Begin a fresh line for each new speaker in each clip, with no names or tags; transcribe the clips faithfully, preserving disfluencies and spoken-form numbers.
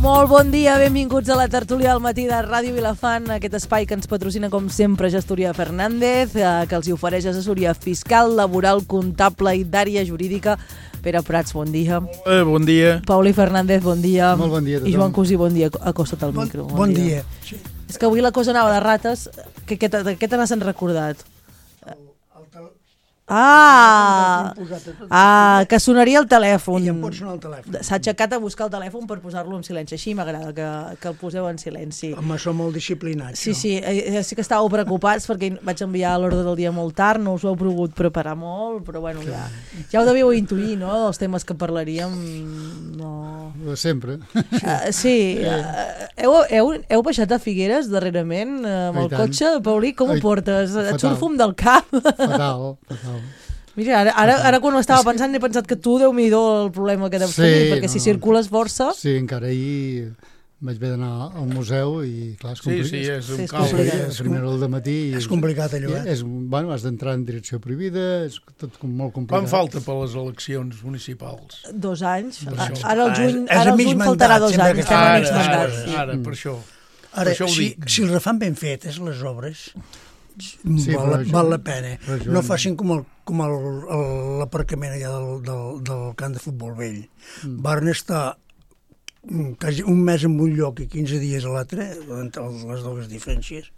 Molt bon dia, benvinguts a la tertúlia del matí de Ràdio Vilafant, aquest espai que ens patrocina com sempre Gestoria Fernández, que els hi ofereix assessoria fiscal, laboral, comptable i d'àrea jurídica. Pere Prats, bon dia.
Eh, bon dia.
Pauli Fernández, bon dia.
Molt bon dia a tothom.
I Joan Cosí, bon dia. Acosta't al
bon,
micro.
Bon, bon dia. dia. Sí.
És que avui la cosa anava de rates. Que, que, que, què te n'has recordat? Ah, ah, que sonaria el telèfon.
I em pot sonar el telèfon.
S'ha aixecat a buscar el telèfon per posar-lo en silenci. Així m'agrada que, que el poseu en silenci.
Home, som molt disciplinats.
Sí, sí, eh, sí que estàveu preocupats perquè vaig enviar l'ordre del dia molt tard, no us ho heu pogut preparar molt, però bueno, ja, ja ho devíeu intuir, no?, dels temes que parlaríem. No...
Sempre.
Uh, sí, uh, heu, heu, heu baixat a Figueres darrerament uh, amb el cotxe, Paulí, com ho portes? Et surt fum del cap?
Fatal, fatal.
Mira, ara, ara, ara quan ho estava pensant he pensat que tu, Déu-n'hi-do, el problema que deus
sí,
tenir, perquè
no,
si circules força...
Sí, encara ahir vaig haver d'anar al museu i clar, és complicat.
Sí, sí, és un
sí, és
caos.
complicat.
Primera al dematí...
És complicat allò, eh?
És, bueno, has d'entrar en direcció prohibida, és tot molt complicat.
Quan falta per les eleccions municipals?
Dos anys.
Per això.
Ara el juny,
És a
ara el
mig
juny
mandat,
faltarà dos
sempre
anys.
que
Estem a
Ara,
mig
ara,
mandat.
ara,
Sí.
ara, per això.
Ara,
Per això ho
si,
dic.
si les fan ben fetes, les obres,
Sí,
val,
però això-
val la pena.
però això-
No facin com el com el, el, l'aparcament allà del, del, del camp de futbol vell. Mm. Varen estar quasi un mes en un lloc i quinze dies a l'altre, entre les dues diferències.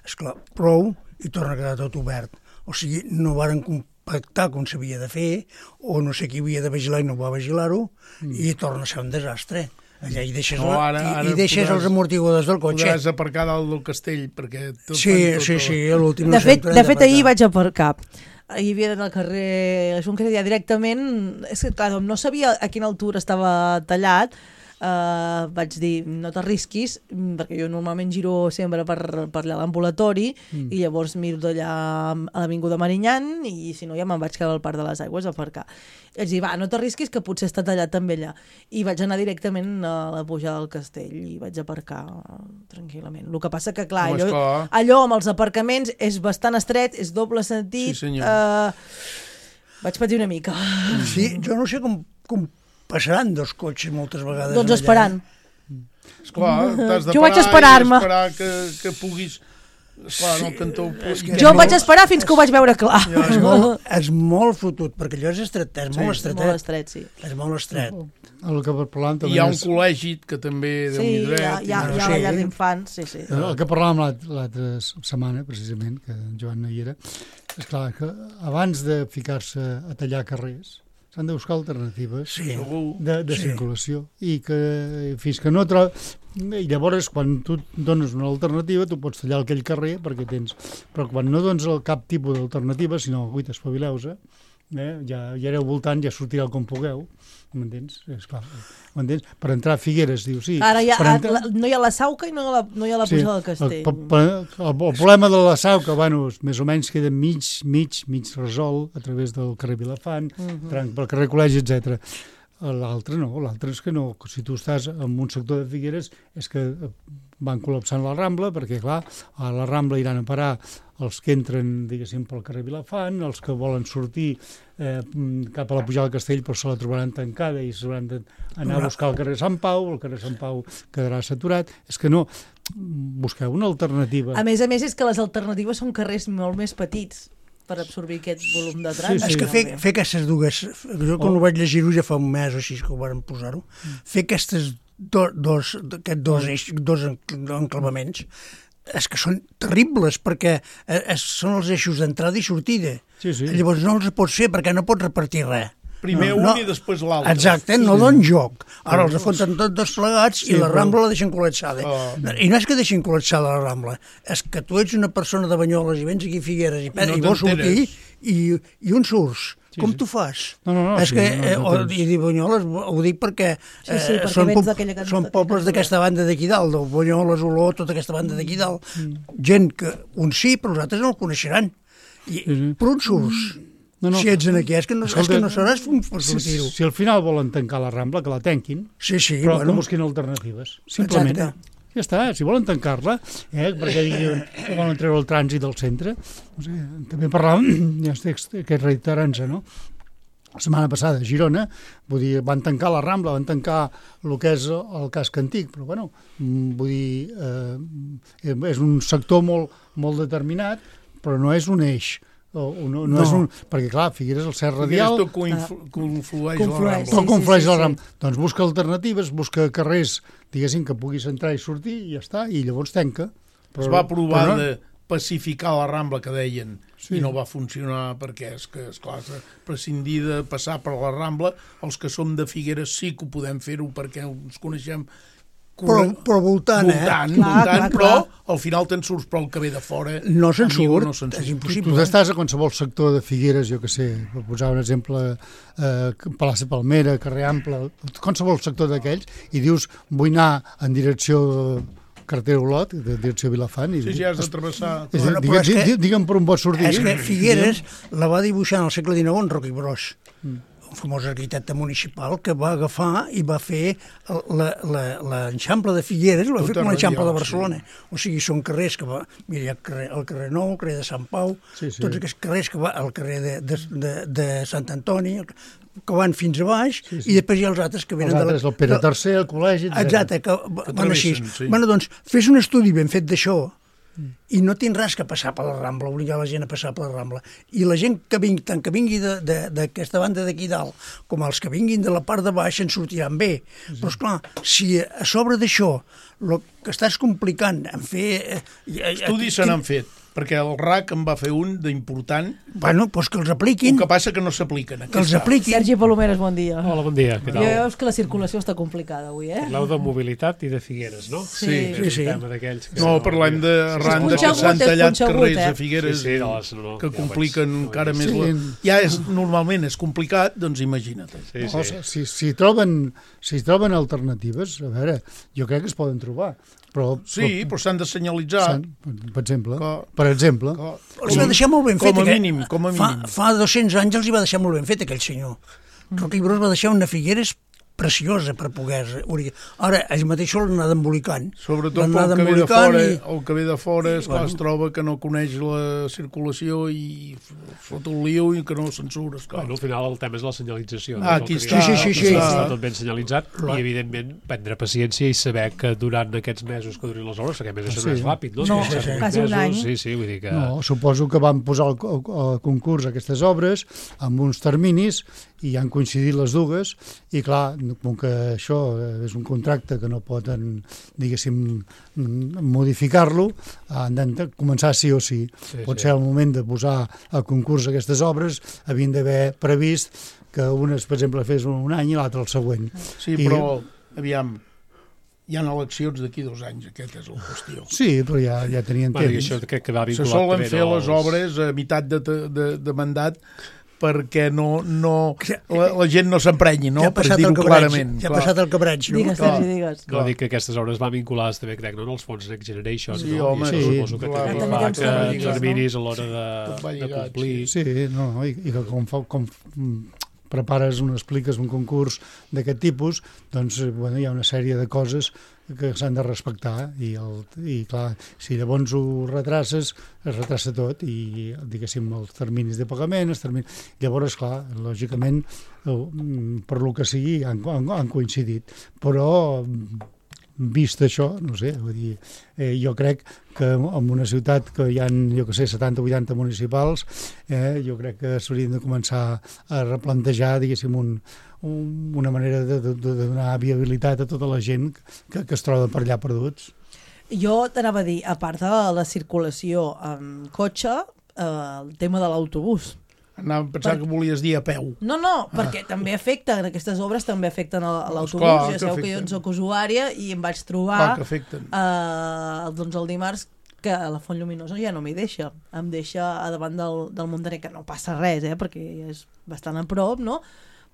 Esclar, prou i torna a quedar tot obert. O sigui, no varen compactar com s'havia de fer, o no sé qui havia de vigilar i no va vigilar-ho, mm. i torna a ser un desastre. Allà hi deixes,
No,
la,
ara-
i,
ara
i deixes
podràs-
els amortiguadors del cotxe.
Podràs aparcar dalt del castell, perquè... Tot
Sí,
fan tot
sí,
el-
sí, a l'últim...
De
no
fet,
sempre
de
hem
fet ahir
d'aparcar.
vaig aparcar. Hi havia d'anar al carrer Junqueras directament. És que, clar, no sabia a quina altura estava tallat. Uh, vaig dir, no t'arrisquis, perquè jo normalment giro sempre per, per allà a l'ambulatori mm. i llavors miro d'allà a l'Avinguda Marinyan i si no ja me'n vaig quedar al Parc de les Aigües a aparcar. I vaig dir, va, no t'arrisquis que potser està tallat també allà. I vaig anar directament a la pujada del castell i vaig aparcar tranquil·lament. El que passa que, clar,
Home,
allò,
esclar.
allò amb els aparcaments és bastant estret, és doble sentit.
Sí, senyor.
Uh, vaig patir una mica.
Sí, jo no sé com, com passaran dos cotxes moltes vegades.
Doncs
allà.
esperant.
Esclar, t'has de
Jo vaig
parar
esperar-me.
i esperar que, que puguis... Esclar, en el cantó...
és que-
Jo
no-
vaig esperar fins que ho vaig veure clar.
Ja,
És molt, és molt fotut, perquè allò és estret, és molt
És
estret.
molt estret, sí.
És molt estret.
El que parlàvem també
Hi ha un
és...
col·legi que també
Sí,
déu-n'hi
hi ha,
dret.
hi ha, hi ha
Sí.
la llar d'infants, sí, sí.
El que parlàvem l'alt- l'altra setmana, precisament, que en Joan no hi era, és clar que abans de ficar-se a tallar carrers s'han de buscar alternatives
Sí.
Segur.
de, de
Sí.
circulació i que fins que no trobes... I llavors, quan tu dones una alternativa, tu pots tallar aquell carrer perquè tens... Però quan no dones el cap tipus d'alternativa, sinó, ui, t'espavileu-se, eh? ja, ja aneu voltant, ja sortireu com pugueu, m'entens? Esclar, m'entens? Per entrar a Figueres, diu, sí.
Ara ja,
per
a,
entrar-
la, no hi ha la Sauca i no hi ha la, no hi ha la pujada del castell.
El, el, el, el problema de la Sau, que bueno, més o menys queda mig, mig, mig resolt a través del carrer Vilafant, uh -huh. tranc pel carrer Col·legi, etcètera. L'altre no, l'altre és que no, si tu estàs en un sector de Figueres és que van col·lapsant la Rambla, perquè clar, a la Rambla iran a parar els que entren, diguéssim, pel carrer Vilafant, els que volen sortir eh, cap a la pujada del castell però se la trobaran tancada i s'hauran d'anar a buscar el carrer Sant Pau, el carrer Sant Pau quedarà saturat. És que no, busqueu una alternativa.
A més a més és que les alternatives són carrers molt més petits per absorbir aquest volum de trànsit.
Sí,
És que fer,
realment.
fer aquestes dues... Jo quan
Oh.
ho vaig llegir-ho ja fa un mes o així que ho van posar-ho, fer aquestes do, dos, aquests dos, eix, dos enclavaments és que són terribles perquè eh, són els eixos d'entrada i sortida.
Sí, sí.
Llavors no els pots fer perquè no pots repartir res.
Primer
No,
un
no.
i després l'altre.
Exacte, no
Sí.
donen joc. Ara els afonten tots dos plegats
Sí,
i la
però-
Rambla la deixen col·lapsada.
Oh.
I no és que deixin col·lapsada la Rambla, és que tu ets una persona de Banyoles i vens aquí a Figueres i,
No
i vols sortir
t'enteres.
i, i on surts?
Sí,
Com
sí.
tu fas?
No, no, no,
és
sí,
que,
no,
eh,
no
o,
tens.
I dir Banyoles ho dic perquè,
Sí, sí, perquè
són,
vens d'aquella can-
són
d'aquella
pobles
cantonada.
d'aquesta banda d'aquí dalt, del Banyoles, Olor, tota aquesta banda d'aquí dalt. Gent que uns sí, però els altres no el coneixeran. I,
Sí, sí.
per on surts?
No, no.
Si ets en aquí, és que no, és
Escolta,
que no seràs un per
Si,
sortir-ho.
si al final volen tancar la Rambla, que la tanquin,
Sí, sí,
però
bueno.
que busquin alternatives. Simplement.
Exacte.
Ja està, si volen tancar-la, eh, perquè diuen que volen treure el trànsit del centre. No sé, també parlàvem, ja estic, aquest reiterant-se, no? la setmana passada a Girona, vull dir, van tancar la Rambla, van tancar el que és el casc antic, però bueno, vull dir, eh, és un sector molt, molt determinat, però no és un eix, o, no, no, no. És un, perquè clar, Figueres, el cert radial...
Figueres tot conflu, conflueix,
conflueix
la Rambla.
Tot
sí,
conflueix
sí, sí,
la
sí.
Rambla. Doncs busca alternatives, busca carrers, diguéssim, que puguis entrar i sortir, i ja està, i llavors tanca. Però,
Es va provar
però no,
de pacificar la Rambla, que deien,
Sí.
i no va funcionar perquè és que, esclar, prescindir de passar per la Rambla, els que som de Figueres sí que ho podem fer-ho perquè ens coneixem
Però, però voltant,
voltant,
eh?
Clar,
voltant
clar,
però
clar.
al final te'n surts, però el que ve de fora
No se'n
amigo,
surt,
no se'n
és
surt.
tu,
impossible.
tu estàs a qualsevol sector de Figueres, jo que sé, per posar un exemple, eh, Plaça Palmera, Carrer Ample, qualsevol sector d'aquells, i dius, vull anar en direcció carretera Olot, de direcció Vilafant. I
Sí, sí, has de travessar.
És,
Bueno,
bueno,
però
digue'm,
és que-
digue'm per on pots sortir.
És que Figueres la va dibuixar en el segle dinou en Roc i Bros,
Mm.
un famós arquitecte municipal que va agafar i va fer l'Eixample de Figueres, va fer
Tota
com l'Eixample de
radial,
Barcelona. O sigui, són carrers que va... Mira, hi ha el carrer, el carrer Nou, el carrer de Sant Pau,
Sí, sí.
tots aquests carrers que va... El carrer de, de, de, de Sant Antoni, el- que van fins a baix,
Sí, sí.
i després hi ha els altres que
Els
venen
altres,
de
el Pere tercer, el col·legi, etcètera.
Exacte, que, que van així.
travessen, sí.
Bueno, doncs, fes un estudi ben fet d'això i no tens res que passar per la Rambla, obligar la gent a passar per la Rambla. I la gent que vingui, tant que vingui de- de- d'aquesta banda d'aquí dalt, com els que vinguin de la part de baix, en sortiran bé. Sí. Però, esclar, si a sobre d'això el que estàs complicant en fer... eh,
Estudis se n'han fet, perquè el R A C en va fer un d'important,
Bueno, doncs que els
el
apliquin,
que passa que no s'apliquen.
que els apliquin.
Sergi Palomeres, bon dia.
Hola, bon dia, què
Ja
tal?
veus que la circulació està complicada avui, eh?
Parleu de mobilitat i de Figueres, no?
Sí.
Sí,
És
sí.
un tema d'aquells que...
No, parlem de arran de que
punxegut,
s'han
és
tallat
punxegut,
carrers
eh?
a Figueres
Sí, sí, no, les- no, no,
que
ja
compliquen
vaig-
encara més
Sí.
la... Ja és, normalment és complicat, doncs imagina't.
Sí,
No,
sí.
si, si, troben, si troben alternatives, a veure, jo crec que es poden trobar. Però,
Sí, però s'han de senyalitzar.
s'han- per exemple,
Que-
per exemple,
que-
Els va deixar molt ben
com
fet.
a
aquell-
mínim, com a
Fa,
mínim.
fa dos-cents anys els hi va deixar molt ben fet aquell senyor. Roc i Bros va deixar una Figueres preciosa per poder... Ara, ells mateixos l'han anat embolicant.
Sobretot
L'han
pel
anat
que ve de
embolicant
fora,
i-
el que ve de fora és, clar,
Bueno.
es troba que no coneix la circulació i fot un liu i que no se'n surt, esclar.
Bueno, al final el tema és la senyalització.
Ah,
no?
aquí
És el
està.
que
Sí, sí, sí, sí.
Està tot ben senyalitzat i, evidentment, prendre paciència i saber que durant aquests mesos que durin les obres, perquè a més això no
Sí.
és ràpid, no?
No,
Si són
sí, sí.
vuit
quasi un
mesos,
any.
Sí, sí, vull dir que...
no, suposo que van posar al, al concurs aquestes obres amb uns terminis i han coincidit les dues i clar, com que això és un contracte que no poden, diguéssim, modificar-lo, han de començar sí o sí.
Sí,
Pot
sí.
ser el moment de posar a concurs aquestes obres, havien d'haver previst que unes, per exemple, fes un any i l'altre el següent.
Sí,
I-
però, aviam, hi ha eleccions d'aquí dos anys, aquesta és la qüestió.
Sí, però ja, ja tenien
Bueno, i
temps.
això crec que va
Se
vinculat
solen
també
fer
als-
les obres a meitat de, de, de mandat perquè no, no, la, la gent no s'emprenyi, no?
ja ha
Per
passat el
dir-ho
cabreig,
clarament.
ja ha
clar.
passat el cabreig, no?
Digues,
clar.
Sergi, digues.
No, dic que aquestes obres van vinculades també, crec, no, als fons Next Generation,
Sí,
no?
home,
I això
sí,
suposo que
clar,
també
clar.
fa
També
que
tenen
els
terminis,
terminis a l'hora de,
Tot va
de
lligat,
complir...
Sí, no, no, i, i que com, fa, com mm, prepares un, expliques un concurs d'aquest tipus, doncs, eh, bueno, hi ha una sèrie de coses que s'han de respectar i, el, i clar, si llavors ho retraces, es retrassa tot i, diguéssim, els terminis de pagament, els terminis... Llavors, clar, lògicament, eh, per lo que sigui, han, han, han coincidit. Però, vist això, no sé, vull dir, eh, jo crec que en una ciutat que hi ha, jo que sé, setanta o vuitanta municipals, eh, jo crec que s'haurien de començar a replantejar, diguéssim, un, un, una manera de, de, de donar viabilitat a tota la gent que, que es troba per allà perduts.
Jo t'anava a dir, a part de la circulació amb cotxe, eh, el tema de l'autobús.
Anava a pensar
Per-
que volies dir a peu.
No, no, perquè també afecten, aquestes obres també afecten a, a
Doncs
l'autobús.
clar,
Ja
que
sabeu que jo
afecten.
en soc usuària i em vaig trobar
Clar que afecten.
eh, doncs el dimarts que la Font Lluminosa ja no m'hi deixa. Em deixa a davant del, del Montaner, que no passa res, eh, perquè és bastant a prop, no?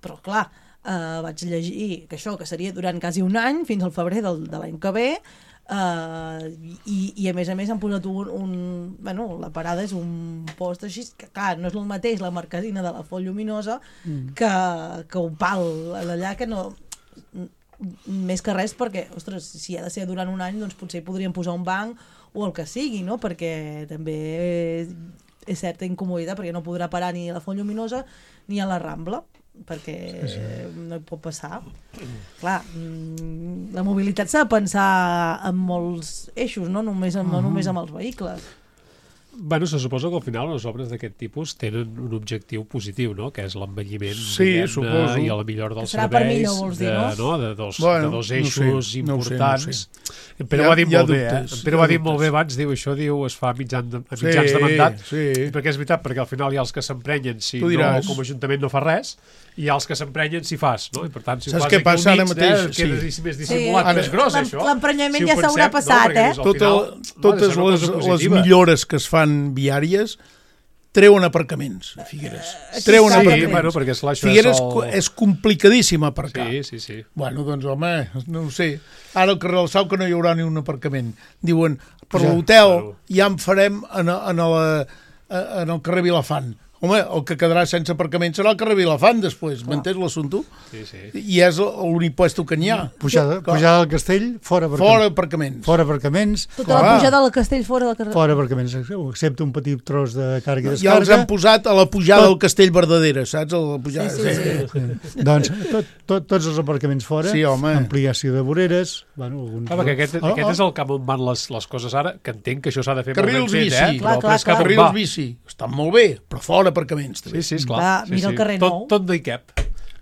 Però clar, eh, vaig llegir que això, que seria durant quasi un any, fins al febrer del, de l'any que ve, Uh, i, i a més a més han posat un, un bueno, la parada és un post així que clar, no és el mateix la marquesina de la Font Lluminosa mm. que, que un pal allà que no més que res perquè, ostres, si ha de ser durant un any doncs potser podríem posar un banc o el que sigui, no? Perquè també és certa incomoditat perquè no podrà parar ni a la Font Lluminosa ni a la Rambla. perquè no hi pot passar. Clar, la mobilitat s'ha de pensar en molts eixos, no només, en, no només amb els vehicles.
Bueno, se suposa que al final les obres d'aquest tipus tenen un objectiu positiu, no? Que és l'envelliment
sí, suposo.
I la millora dels
serà
serveis
per millor, vols dir,
de,
no?
no? De, dos,
bueno,
de dos eixos
no sé,
importants.
No sé, no sé.
En Pere ho ha dit molt bé, eh? En Pere ho ha dit
dubtes.
molt bé abans, diu, això diu, es fa mitjan de, a mitjans
sí,
de mandat,
sí.
perquè és veritat, perquè al final hi ha els que s'emprenyen si no,
diràs.
com a Ajuntament no fa res, i hi ha els que s'emprenyen si fas, no? I per tant, si
Saps
ho fas
què passa ara
mig,
mateix?
Eh, queda
Sí.
més dissimulat,
Sí,
més gros, això.
l'emprenyament
Si ho
ja s'haurà
pensem,
passat,
no,
eh?
al
Tot
final,
el, totes
no,
les, les millores que es fan viàries treuen aparcaments a Figueres. Treuen
Sí,
aparcaments.
bueno, perquè esclar, això
Figueres
és el...
és complicadíssim aparcar.
Sí, sí, sí.
Bueno, doncs, home, no ho sé. Ara al carrer del Sau que no hi haurà ni un aparcament. Diuen, per
Ja,
l'hotel
claro.
ja en farem en, en, la, en el carrer Vilafant. Home, el que quedarà sense aparcament serà el carrer Vilafant després, m'entens l'assumpte?
Sí, sí.
I és l'únic puesto que n'hi ha.
Pujada,
Clar.
pujada al castell, fora aparcaments.
Fora aparcaments.
Fora aparcaments,
Tota la
Clar.
pujada del castell fora del carrer.
fora aparcaments, excepte un petit tros de càrrega i
Ja els
descàrrega.
han posat a la pujada
Tot.
del Castell Verdadera, saps? A la pujada.
Sí, sí, sí.
Doncs tot, tot, tots els aparcaments fora,
Sí, home.
ampliació de voreres, bueno, alguns...
Ah, perquè aquest,
Oh,
aquest
oh.
és el cap on van les, les coses ara, que entenc que això s'ha de fer
Carrils
molt ben fet,
bici.
eh?
Clar,
Però
clar,
és cap
clar.
on
Carrils
va.
bici. Estan molt bé, però fora aparcaments.
Sí,
També.
sí, esclar.
Va,
sí,
mira
sí.
el carrer
tot,
Nou.
tot no hi cap.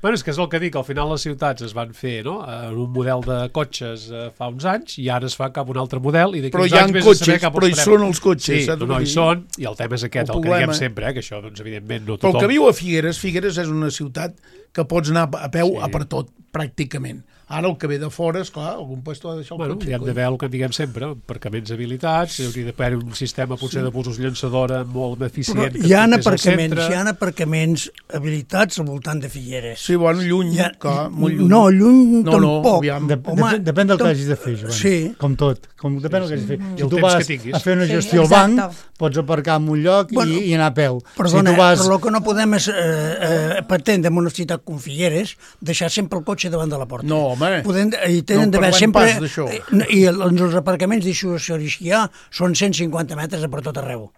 Bueno, és que és el que dic, al final les ciutats es van fer, no?, en un model de cotxes eh, fa uns anys, i ara es fa cap a un altre model, i d'aquí
Però
uns
hi ha
anys vés a saber
cotxes,
cap on
però hi
estarem.
són els cotxes,
Sí,
saps el
no
que
hi
dic?
són, i el tema és aquest,
El
el, que diguem
problema-
sempre, eh, que això, doncs, evidentment, no
Però el
tothom...
que viu a Figueres, Figueres és una ciutat que pots anar a peu
Sí.
a per tot, pràcticament. Ara el que ve de fora, esclar, algun puesto ha de deixar el
Bueno,
cotxe.
hi ha d'haver el que diguem sempre, aparcaments habilitats, hi hauria d'haver un sistema potser de busos llançadora molt
Però
eficient. que
hi ha
portés al
aparcaments,
centre.
hi ha aparcaments habilitats al voltant de Figueres.
Sí, bueno, lluny,
Hi ha,
clar, molt lluny.
no, lluny
No, no,
tampoc.
aviam.
De,
Home,
depèn, depèn del que
tam-
hagis de fer, Joan.
Sí.
Com tot. Com, depèn del que hagis de fer.
I
Si
el
tu
temps
vas
que tinguis.
a fer una
Sí,
gestió al
exacte.
banc, pots aparcar en un lloc
Bueno,
i, i anar a peu.
Perdona,
si tu vas...
però el que no podem és, eh, eh, pretendre en una ciutat com Figueres, deixar sempre el cotxe davant de la porta.
No, home.
Podem, I tenen
No
d'haver
parlem
sempre...
pas d'això.
eh, I el- els aparcaments dissuasoris que hi ha són cent cinquanta metres a per tot arreu.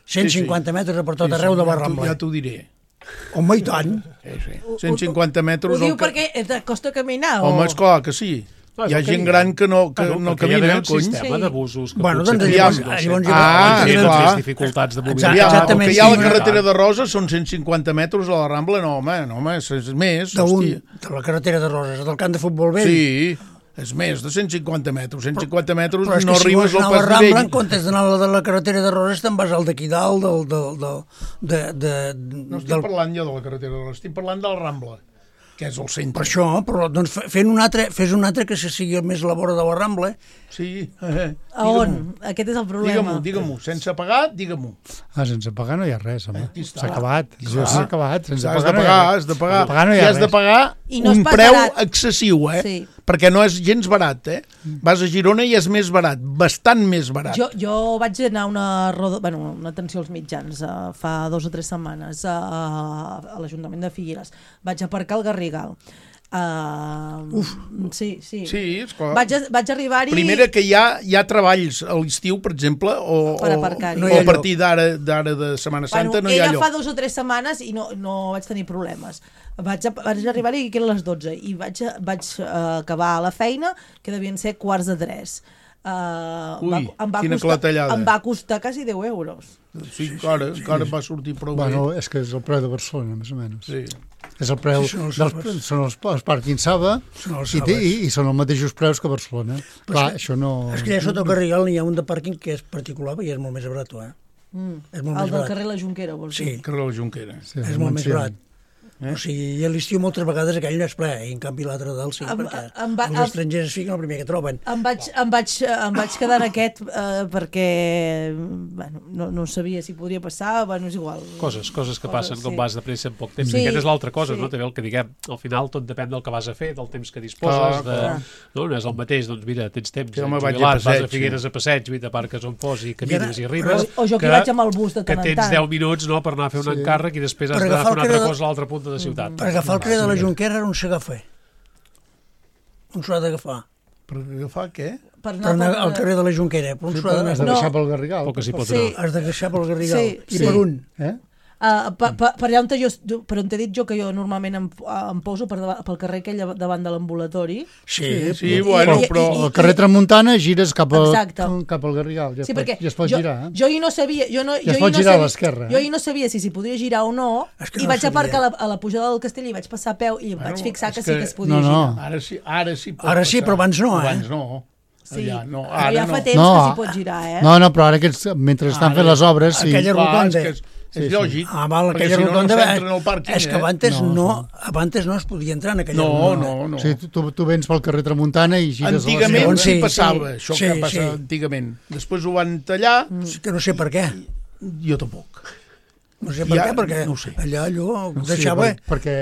cent cinquanta metres a per tot
Sí, sí,
arreu de la
ja t'ho-
Rambla.
Ja t'ho diré.
Home, i tant.
Sí, sí. cent cinquanta metres...
Ho diu
el que-
perquè et costa caminar?
Home,
o...
esclar que sí.
No, és
Hi ha
el que
gent
diguem.
gran que no, que
Bueno,
no
perquè hi ha d'haver
camina,
un
cony.
sistema
Sí.
de busos que
Bueno,
potser
doncs
tenen,
llavors-
no sé,
llavors
Ah,
tenen
clar.
tres dificultats de mobilitat.
Exacte,
Ja, el
exactament,
que hi ha a la
sí.
carretera de Roses són cent cinquanta metres a la Rambla, no, home, no, home, és, és més,
D'un,
hòstia.
de la carretera de Roses, del camp de futbol vell.
Sí, és més de cent cinquanta metres. cent cinquanta metres
Però és que
no
si
arribes
vols
al
anar a la
pas
Rambla,
nivell.
en comptes d'anar a la de la carretera de Roses, te'n vas al d'aquí dalt, del, del, del, de, de,
No estic
del,
parlant jo de la carretera de Roses, estic parlant de la Rambla, que és el centre.
per això, però doncs fe- fent un altre, fes un altre que se sigui més a la vora de la Rambla.
Sí, eh,
A on? Aquest és el problema.
digue-m'ho, digue-m'ho, sense pagar, digue-m'ho.
Ah, sense pagar no hi ha res, home.
Aquí està.
S'ha acabat. Això
Clar.
s'ha acabat. Sense
Has de
pagar no hi ha
pagar,
res.
has de pagar,
Sense pagar no hi
i
ha
has de
res.
pagar
I no és
un
pas
preu
barat.
excessiu, eh?
Sí.
Perquè no és gens barat, eh? Vas a Girona i és més barat, bastant més barat.
Jo, jo vaig anar a una, roda, bueno, una atenció als mitjans uh, fa dos o tres setmanes uh, a l'Ajuntament de Figueres. Vaig aparcar al Garrigal. Uh, Uf. Sí, sí.
Sí, esclar.
Vaig, a, vaig arribar-hi...
Primera que hi ha, hi ha treballs a l'estiu, per exemple, o,
Per
o,
aparcar-hi.
No
o
hi ha
a partir d'ara d'ara de Setmana Santa
bueno,
no hi ha
ella
lloc.
fa dos o tres setmanes i no, no vaig tenir problemes. Vaig, a, vaig arribar-hi que eren les dotze i vaig, a, vaig uh, acabar a la feina, que devien ser quarts de tres. Uh,
Ui,
em va
quina
costar,
clatellada.
em va costar quasi deu euros.
Sí, encara, encara va sortir prou
Bueno,
bé.
és que és el preu de Barcelona, més o menys.
Sí.
És el preu,
Sí, són els
dels,
sabes.
són els, els pàrquings Saba
Són els
i, té,
Sabes.
i, i són els mateixos preus que Barcelona. Clar,
és
això no...
És que ja sota el Garrigal n'hi ha un de pàrquing que és particular i és molt més barat, eh?
Mm.
És molt
El
més
del
barat.
carrer La Junquera, vols
Sí,
dir?
Carrer la Junquera.
Sí,
és molt més
menció.
barat. Eh? O sigui, i a l'estiu moltes vegades aquell no és ple, i en canvi l'altre dalt sí,
Em-
perquè
em va-
els
em-
estrangers es fiquen el primer que troben.
Em vaig, em vaig, em vaig quedar en aquest eh, perquè bueno, no, no sabia si podria passar, bueno, és igual.
Coses, coses que
Coses,
passen quan
sí.
vas de pressa en poc temps.
Sí,
Sí, Aquesta és l'altra cosa,
sí.
no? També el que diguem, al final tot depèn del que vas a fer, del temps que disposes,
Clar,
de,
clar.
no? no és el mateix, doncs mira, tens temps,
Sí,
ets
home, vaig a
jubilat, vas
passeig,
a Figueres a passeig, i t'aparques on fos i camines i,
ara-
arribes.
O, o jo que vaig amb el bus de
que
tant en
tens
tant.
deu minuts, no?, per anar a fer un
Sí.
encàrrec i després has
Per
d'anar a
agafar
fer una
el
altra
carrer de-
cosa a l'altra punta de ciutat.
Per agafar el carrer de la Junquera on s'ha d'agafar? On s'ha d'agafar?
Per agafar què?
Per
Per anar
per-
al carrer de la Junquera, per on
Sí,
s'ha
però has
d'anar?
de
No.
deixar pel Garrigal.
O que s'hi pot
Sí.
anar.
Has d'agafar pel Garrigal.
Sí,
I
sí.
per un?
Eh?
Uh, per, per, per allà on jo, per on t'he dit jo que jo normalment em, em poso per davant, pel carrer aquell davant de l'ambulatori.
Sí,
sí, bueno,
I- i-
però
i-
Al carrer Tramuntana gires cap, a,
Exacte.
cap al Garrigal. Ja,
Sí,
es pot,
perquè
ja es pot
jo,
girar. Eh?
jo hi no sabia... Jo no,
Ja es
jo hi
pot
no
girar a
sabia,
l'esquerra, eh?
Jo hi no sabia si s'hi podia girar o no,
És que
i
no
vaig
sabia.
aparcar a la, a la pujada del castell i vaig passar a peu i em
Bueno,
vaig fixar
és
que, sí
que-
que es podia
No, no.
girar.
ara sí, ara sí pot
Ara sí,
passar.
però abans no, eh?
Abans no.
Sí,
Allà, no,
però
ara
ja fa
no.
temps
No,
que
a-
s'hi pot girar, eh?
No, no, però ara aquests, mentre estan
Ara,
fent les obres, sí.
aquella
Clar,
rotonda.
és, que és, és
Sí, sí.
lògic.
Ah, val,
perquè
aquella
si no,
rotonda...
no s'entra en el pàrquing.
és que
eh?
abans
No,
no, abans no es podia entrar en aquella
No,
rotonda.
no, no.
O sigui, tu, tu vens pel carrer Tramuntana i gires
Antigament
a
Segons
sí,
sí,
passava,
sí.
això
Sí,
que passa
sí.
antigament. Després ho van tallar,
Sí que no sé per què.
jo tampoc.
No sé per
Ja,
què, perquè
no ho sé.
allà allò
Sí,
deixava...
per, perquè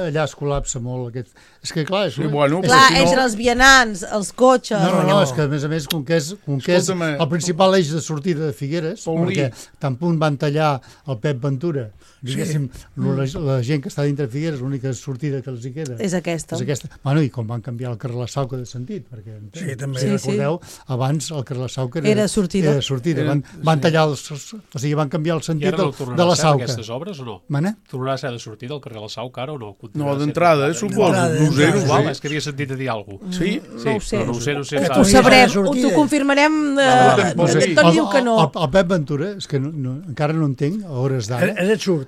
allà es col·lapsa molt. Aquest... És que, clar, és...
Sí, bueno,
Clar,
però si no-
entre els vianants, els cotxes...
No, no, no,
no.
és que a més a més, com que és, com que és
Escolta'm,
el principal eix de sortida de Figueres,
Paulí.
perquè tan punt van tallar el Pep Ventura, diguéssim, la, la gent que està dintre de Figueres, l'única sortida que els hi queda
És aquesta.
és aquesta. Bueno, i com van canviar el carrer La Sauca de sentit, perquè
Sí, també.
si
Sí,
recordeu, abans el carrer La Sauca era,
Era sortida.
Era sortida.
Era-
Van, van tallar els, o sigui, van canviar el
I
sentit
ara
de,
no
de
tornarà
la
a ser
Sauca.
aquestes obres o no?
Mana?
Tornarà a ser de sortida al carrer La Sauca ara o no?
No, d'entrada, eh, suposo.
D'entrada,
No ho sé,
d'entrada.
no
Igual,
ho
és
sé.
que havia sentit a dir alguna cosa.
Sí?
Sí,
No ho sé.
però no ho sé, no ho sé.
Ho,
Que
ho
saps?
torni-
sabrem,
sortida.
ho t'ho confirmarem.
Va,
Eh,
va, va,
en
sí.
Toni diu que no.
El, el Pep Ventura, és que no, no, encara no entenc, a hores d'ara,
És absurd.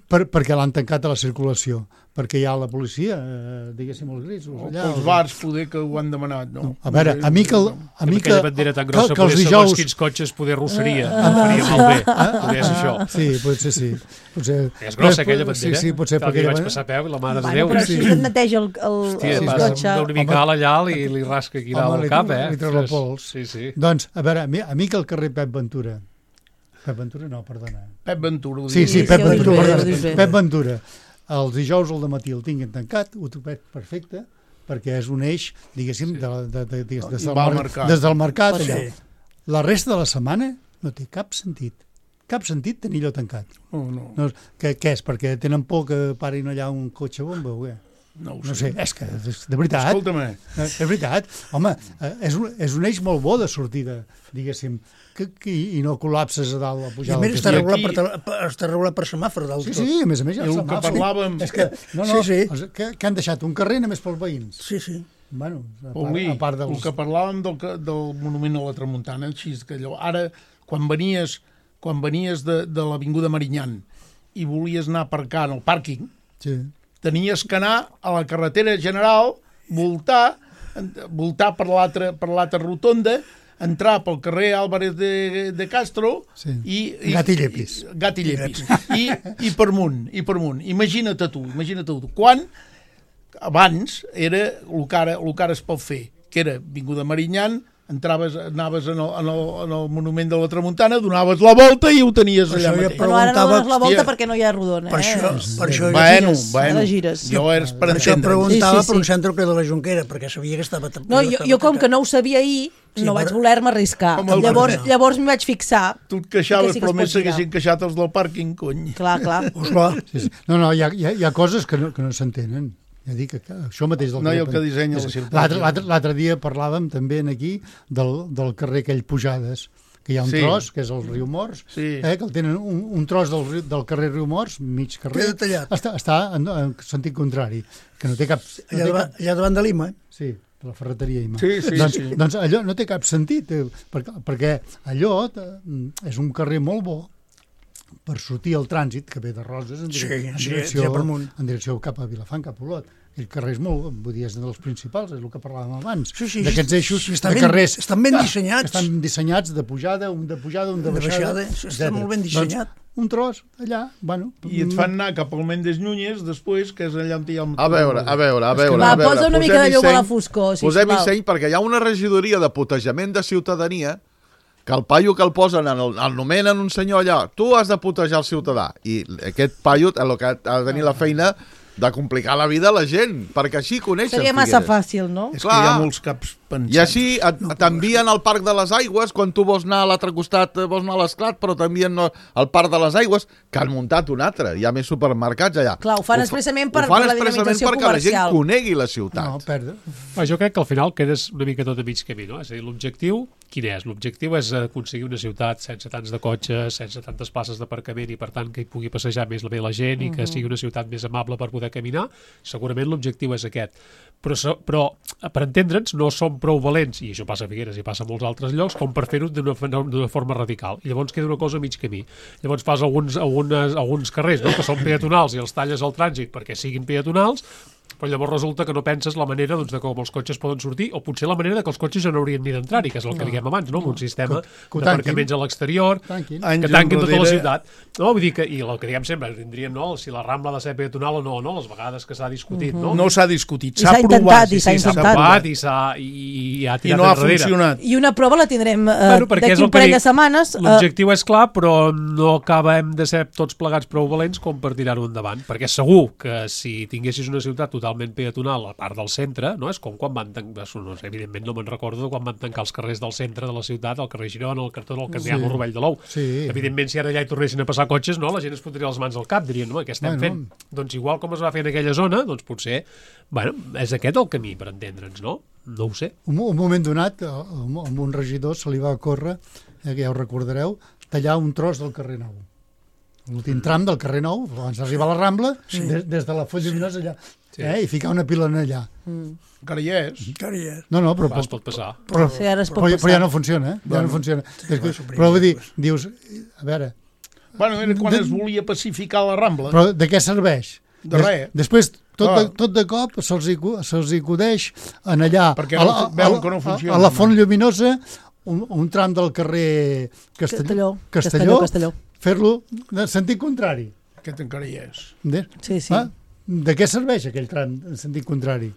per, perquè l'han tancat a la circulació, perquè hi ha la policia, eh, diguéssim, els grisos allà.
Els bars poder que ho han demanat, no?
A veure, a mi que, el, a mi
Amb
que,
aquella bandera tan
que,
grossa,
que els
poder segons
dijous...
quins cotxes poder rosseria. Em faria malbé. Poder ser això.
Sí, potser sí. Potser...
És grossa aquella bandera.
Sí, sí, potser
Tal
perquè...
dia vaig passar a peu i la mare de
Bueno,
Déu.
però
sí.
així et neteja el, el,
Hòstia,
el
sí,
passa
cotxe.
d'un mical allà i li rasca aquí
Home,
dalt
li
el cap,
treu-
eh?
li treu la
Ostres,
pols.
Sí, sí.
Doncs, a veure, a mi, a mi que el carrer Pep Ventura... Pep Ventura no, perdona.
Pep Ventura. ho
Sí,
diu.
sí,
Sí,
Pep
sí, ho dius
Ventura.
bé, ho
perdona.
dius bé.
Pep Ventura. Els dijous al matí el tinguin tancat, ho trobat perfecte, perquè és un eix, diguéssim, de, la- de, de, des, des,
I
del,
va al
mar-
mercat.
des del mercat.
Sí.
Allà. La resta de la setmana no té cap sentit. Cap sentit tenir allò tancat.
No, no,
No, què, què és? Perquè tenen por que parin allà un cotxe bomba o què?
no ho
No
sé.
sé, és que, és, de veritat,
Escolta'm,
eh, és veritat. Home, eh, és un, és un eix molt bo de sortida, diguéssim, que, que, i no col·lapses a dalt a
I
pujar
a
del
més està
castell.
regulat,
aquí-
per, per, està regulat per semàfor dalt
Sí,
tot.
sí, a més a més, ja
I el
el
que
semàfor.
parlàvem-
És que, no, no,
Sí, sí.
els- Que, que han deixat un carrer només pels veïns.
Sí, sí.
Bueno, a part,
Paulí,
a part dels...
el que parlàvem del, que- del monument a la Tramuntana, així que allò, ara, quan venies, quan venies de, de l'Avinguda Marinyan i volies anar a aparcar en el pàrquing,
Sí.
tenies que anar a la carretera general, voltar, en- voltar per l'altra per l'altra rotonda, entrar pel carrer Álvarez de, de Castro
Sí.
i, i
Gat i llepis.
i- gat i llepis i, i per munt, i per munt. Imagina't tu, imagina't tu. Quan abans era el que ara, el que ara es pot fer, que era Avinguda Marinyan, entraves, anaves en el, en, el, en el monument de la Tramuntana, donaves la volta i ho tenies
Per
allà
això ja
mateix.
Però ara no
preguntava,
dones la volta
hòstia.
perquè no hi ha rodona,
Per
eh?
això, per això,
Bueno,
gires,
bueno,
ara gires.
jo és per
per això
entendre.
preguntava
Sí, sí, sí.
per un centre que de la Jonquera, perquè sabia que estava...
No, jo, jo com que no ho sabia ahir,
Sí,
no
però-
vaig voler-me arriscar.
Com el-
Llavors,
no.
llavors m'hi vaig fixar.
Tu et queixaves,
Que sí que
però
es
més
pot girar.
s'haguessin queixat els del pàrquing, cony.
Clar, clar.
Pues clar,
Sí, sí. No, no, hi ha, hi ha, hi ha coses que no, que no s'entenen. Ja dic que, que això mateix del
No, i el
carrer-
que dissenya la
és-
ciutat.
L'altre l'altre- l'altre dia parlàvem també aquí del, del carrer aquell Pujades, que hi ha un
Sí.
tros, que és el riu Morts,
Sí.
eh, que el tenen un, un tros del, riu- del carrer riu Morts, mig carrer,
Queda tallat.
està, està en, en sentit contrari, que no té cap... No
allà,
té
davant,
cap
allà davant de Lima.
sí, de la ferreteria Ima.
Sí, sí,
doncs,
sí.
doncs allò no té cap sentit, eh, perquè, perquè allò eh, és un carrer molt bo per sortir al trànsit, que ve de Roses en,
Sí,
dire, en,
sí,
direcció,
ja per amunt.
en direcció cap a Vilafant, cap a Olot. Aquell carrer és molt, vull dir, és dels principals, és el que parlàvem abans.
Sí, sí,
D'aquests
sí,
eixos
sí, estan
de
ben-
carrers.
estan ben
que
dissenyats.
Estan dissenyats de pujada, un de pujada, un de,
De
baixada.
baixada, sí, està
etcètera.
molt ben dissenyat.
Doncs, un tros allà, bueno...
I et fan anar cap al Méndez Núñez després, que és allà on hi ha el...
A veure, a veure, a
És que
veure.
Va,
a veure.
posa una mica de
Posem-hi
llum a la
seny,
foscor, sisplau.
Posem-hi seny, perquè hi ha una regidoria de putejament de ciutadania que el paio que el posen, en el, el nomenen un senyor allà, tu has de putejar el ciutadà. I aquest paio el que ha de tenir la feina de complicar la vida a la gent, perquè així coneixen
Seria massa
Figueres.
fàcil, no?
És que hi ha
Clar.
molts caps Pensem.
I així et, t'envien al Parc de les Aigües, quan tu vols anar a l'altre costat, vols anar a l'Esclat, però t'envien al Parc de les Aigües, que han muntat un altre. Hi ha més supermercats allà.
Clar, ho fan expressament per,
ho fan
per la
expressament
dinamització
perquè
comercial.
la gent conegui la ciutat.
No, perda.
Ah, jo crec que al final quedes una mica tot a mig camí, no? És a dir, l'objectiu, quin és? L'objectiu és aconseguir una ciutat sense tants de cotxes, sense tantes places d'aparcament i, per tant, que hi pugui passejar més la, la gent i que
Mhm.
sigui una ciutat més amable per poder caminar. Segurament l'objectiu és aquest. Però, so- però per entendre'ns, no som prou valents, i això passa a Figueres i passa a molts altres llocs, com per fer-ho d'una d'una forma radical. I llavors queda una cosa a mig camí. Llavors fas alguns, algunes, alguns carrers, no?, que són peatonals i els talles al trànsit perquè siguin peatonals, però llavors resulta que no penses la manera, doncs, de com els cotxes poden sortir, o potser la manera de que els cotxes ja no haurien ni d'entrar-hi, que és el que
No.
diguem abans, no? Amb un sistema
Que- que ho
d'aparcaments a l'exterior,
Tanquin.
que
Anys
tanquin tota la
enrere-
ciutat. No, vull dir que, i el que diguem sempre, tindríem, no?, si la Rambla ha de ser peatonal o no, no? Les vegades que s'ha discutit, no?
No s'ha discutit,
I
s'ha
s'ha
provat.
intentat, i s'ha
Sí, s'ha
intentat.
provat i, s'ha, i, i ha
I
tirat
no ha
enrere.
funcionat.
I una prova la tindrem eh,
Bueno, perquè és
d'aquí
el
un
que
parell
dic.
de setmanes. Eh,
L'objectiu és clar, però no acabem de ser tots plegats prou valents com per tirar-ho endavant, perquè segur que si tinguessis una ciutat totalment peatonal a part del centre, no? És com quan van tancar, no, evidentment no me'n recordo de quan van tancar els carrers del centre de la ciutat, el carrer Girona, el cartó del Candià,
Sí.
el Rovell de l'Ou.
Sí.
Evidentment, si ara allà hi tornessin a passar cotxes, no? La gent es fotria les mans al cap, dirien, no, què estem
Bueno.
fent? Doncs igual com es va fer en aquella zona, doncs potser, bueno, és aquest el camí per entendre'ns, no? No ho sé.
Un, un moment donat, a, a un regidor se li va córrer, eh, que ja ho recordareu, tallar un tros del carrer Nou. L'últim tram del carrer Nou, abans d'arribar a la Rambla, sí. des, des de la Font Lluminosa allà,
Sí.
eh, i ficar una pilona allà.
Encara hi és.
Encara hi és.
No, no, però,
Va, es pot passar.
però,
Sí, ara es pot
però,
passar.
però ja no funciona, eh? Ja
Bueno,
no funciona.
sí,
És que,
va suprimir
però vull dir,
després.
dius, a veure,
Bueno, era quan
De-
es volia pacificar la Rambla.
però de què serveix?
De
Des-
res.
Després, tot de,
Clar.
tot de cop, se'ls hi, cu- se'ls hi acudeix en allà,
Perquè
a,
no-
la, a,
veuen que no
a,
funciona,
a la
home.
Font Lluminosa, un, un tram del carrer Castelló,
Castelló.
Castelló,
Castelló.
fer-lo de sentit contrari.
Aquest encara hi és.
De,
Sí, sí.
ah, de què serveix aquell tram en sentit contrari?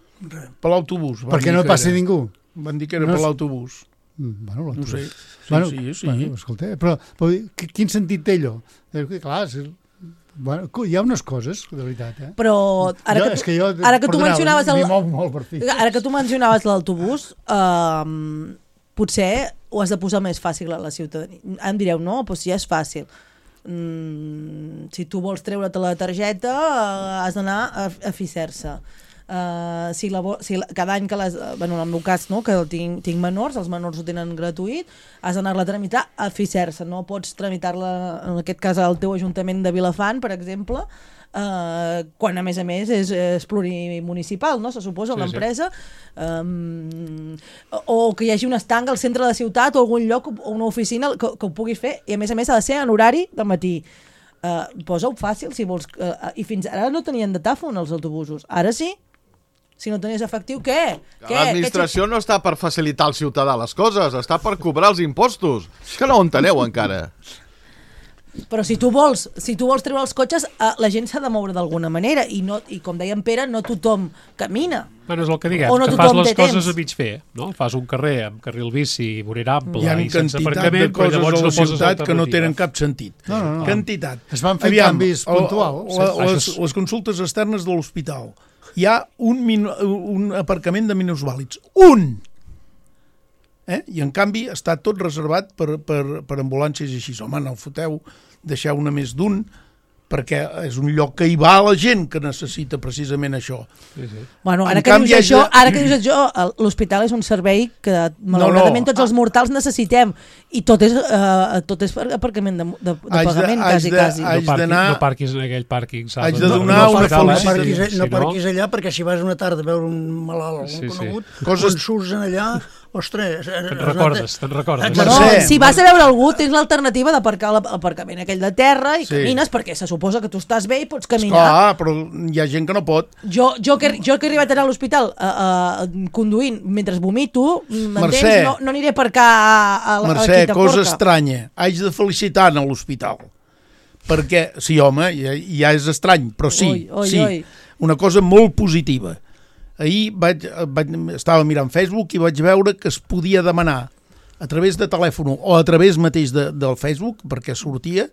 Per l'autobús. van
Perquè
dir
no
que
passi
era.
ningú.
Van dir que era
No
per
és-
l'autobús.
Mm, Bueno,
No ho sé. Sí,
bueno,
sí, sí.
Bueno, escolta, però, però qui- quin sentit té allò? És que, clar, és, bueno, hi ha unes coses, de veritat, eh?
Però ara
jo,
que,
és
tu,
que jo,
ara que tu
perdoneu,
mencionaves el,
m'hi mou molt per fi.
ara que tu mencionaves l'autobús, eh, potser ho has de posar més fàcil a la ciutadania. Em direu, no, doncs ja és fàcil. Mm, si tu vols treure't la targeta, eh, has d'anar a, a Ficersa. Uh, si la, vo- si la, cada any que les, eh, bueno, en el meu cas, no, que tinc, tinc menors, els menors ho tenen gratuït, has d'anar-la a tramitar a Ficersa, no pots tramitar-la, en aquest cas al teu Ajuntament de Vilafant, per exemple, uh, quan a més a més és, és plurimunicipal, no? Se suposa,
Sí,
l'empresa, um, o que hi hagi un estanc al centre de la ciutat o algun lloc o una oficina que, que ho puguis fer, i a més a més ha de ser en horari de matí. Uh, posa-ho fàcil si vols, uh, i fins ara no tenien datàfon els autobusos, ara sí. Si no tenies efectiu, què? què?
L'administració no està per facilitar al ciutadà les coses, està per cobrar els impostos. És que no ho enteneu encara.
Què- Però si tu vols, si tu vols treure els cotxes, uh, la gent s'ha de moure d'alguna manera, i, no, i com deia en Pere, no tothom camina.
Bueno, és el que diguem,
O no
que fas
tothom
les
té
coses
temps.
a mig fer, no? Fas un carrer amb carril bici, vorera ample
Hi ha
i sense
quantitat
aparcament,
de
però
coses
llavors
a
no
la
poses
ciutat que no
alternativa.
tenen cap sentit.
No, no, no.
Quantitat.
Es van fent canvis puntuals.
La,
Això
les,
és-
les consultes externes de l'hospital. Hi ha un, min, un aparcament de minusvàlids. Un! Eh? I en canvi està tot reservat per, per, per ambulàncies i així. Home, no foteu, deixeu una més d'un, perquè és un lloc que hi va la gent que necessita precisament això.
Sí, sí.
Bueno, ara
En
que
canvi,
dius això,
haig de-
ara que dius això, el- l'hospital és un servei que malauradament
no.
tots els mortals necessitem, i tot és, uh, tot és per aparcament de, de, de
Haig de-
pagament,
haig
quasi,
de-
quasi.
haig
No, parqui,
d'anar-
no parquis en aquell pàrquing. saps?
Haig de
No-
donar
no
una
hospital,
No
eh?
felicitat.
parquis,
Si
no parquis allà, perquè si vas una tarda a veure un malalt,
Sí,
algun
sí.
conegut,
Coses-
quan surts en allà, ostres...
Te'n recordes, te'n recordes.
Bueno,
Mercè,
si vas a veure algú, tens l'alternativa d'aparcar a l'aparcament aquell de terra i
Sí.
camines, perquè se suposa que tu estàs bé i pots caminar.
Clar, però hi ha gent que no pot.
Jo, jo, que, jo que he arribat a anar a l'hospital uh, uh, conduint mentre vomito, m'entens?
Mercè.
No, no aniré a aparcar a, a, a
Mercè,
la Quinta
cosa
Forca.
estranya. Haig de felicitar a l'hospital. Perquè, sí, home, ja, ja és estrany, però sí,
Oi, oi,
sí.
oi.
Una cosa molt positiva. Ahir vaig, vaig, estava mirant Facebook i vaig veure que es podia demanar a través de telèfon o a través mateix de, del Facebook, perquè sortia,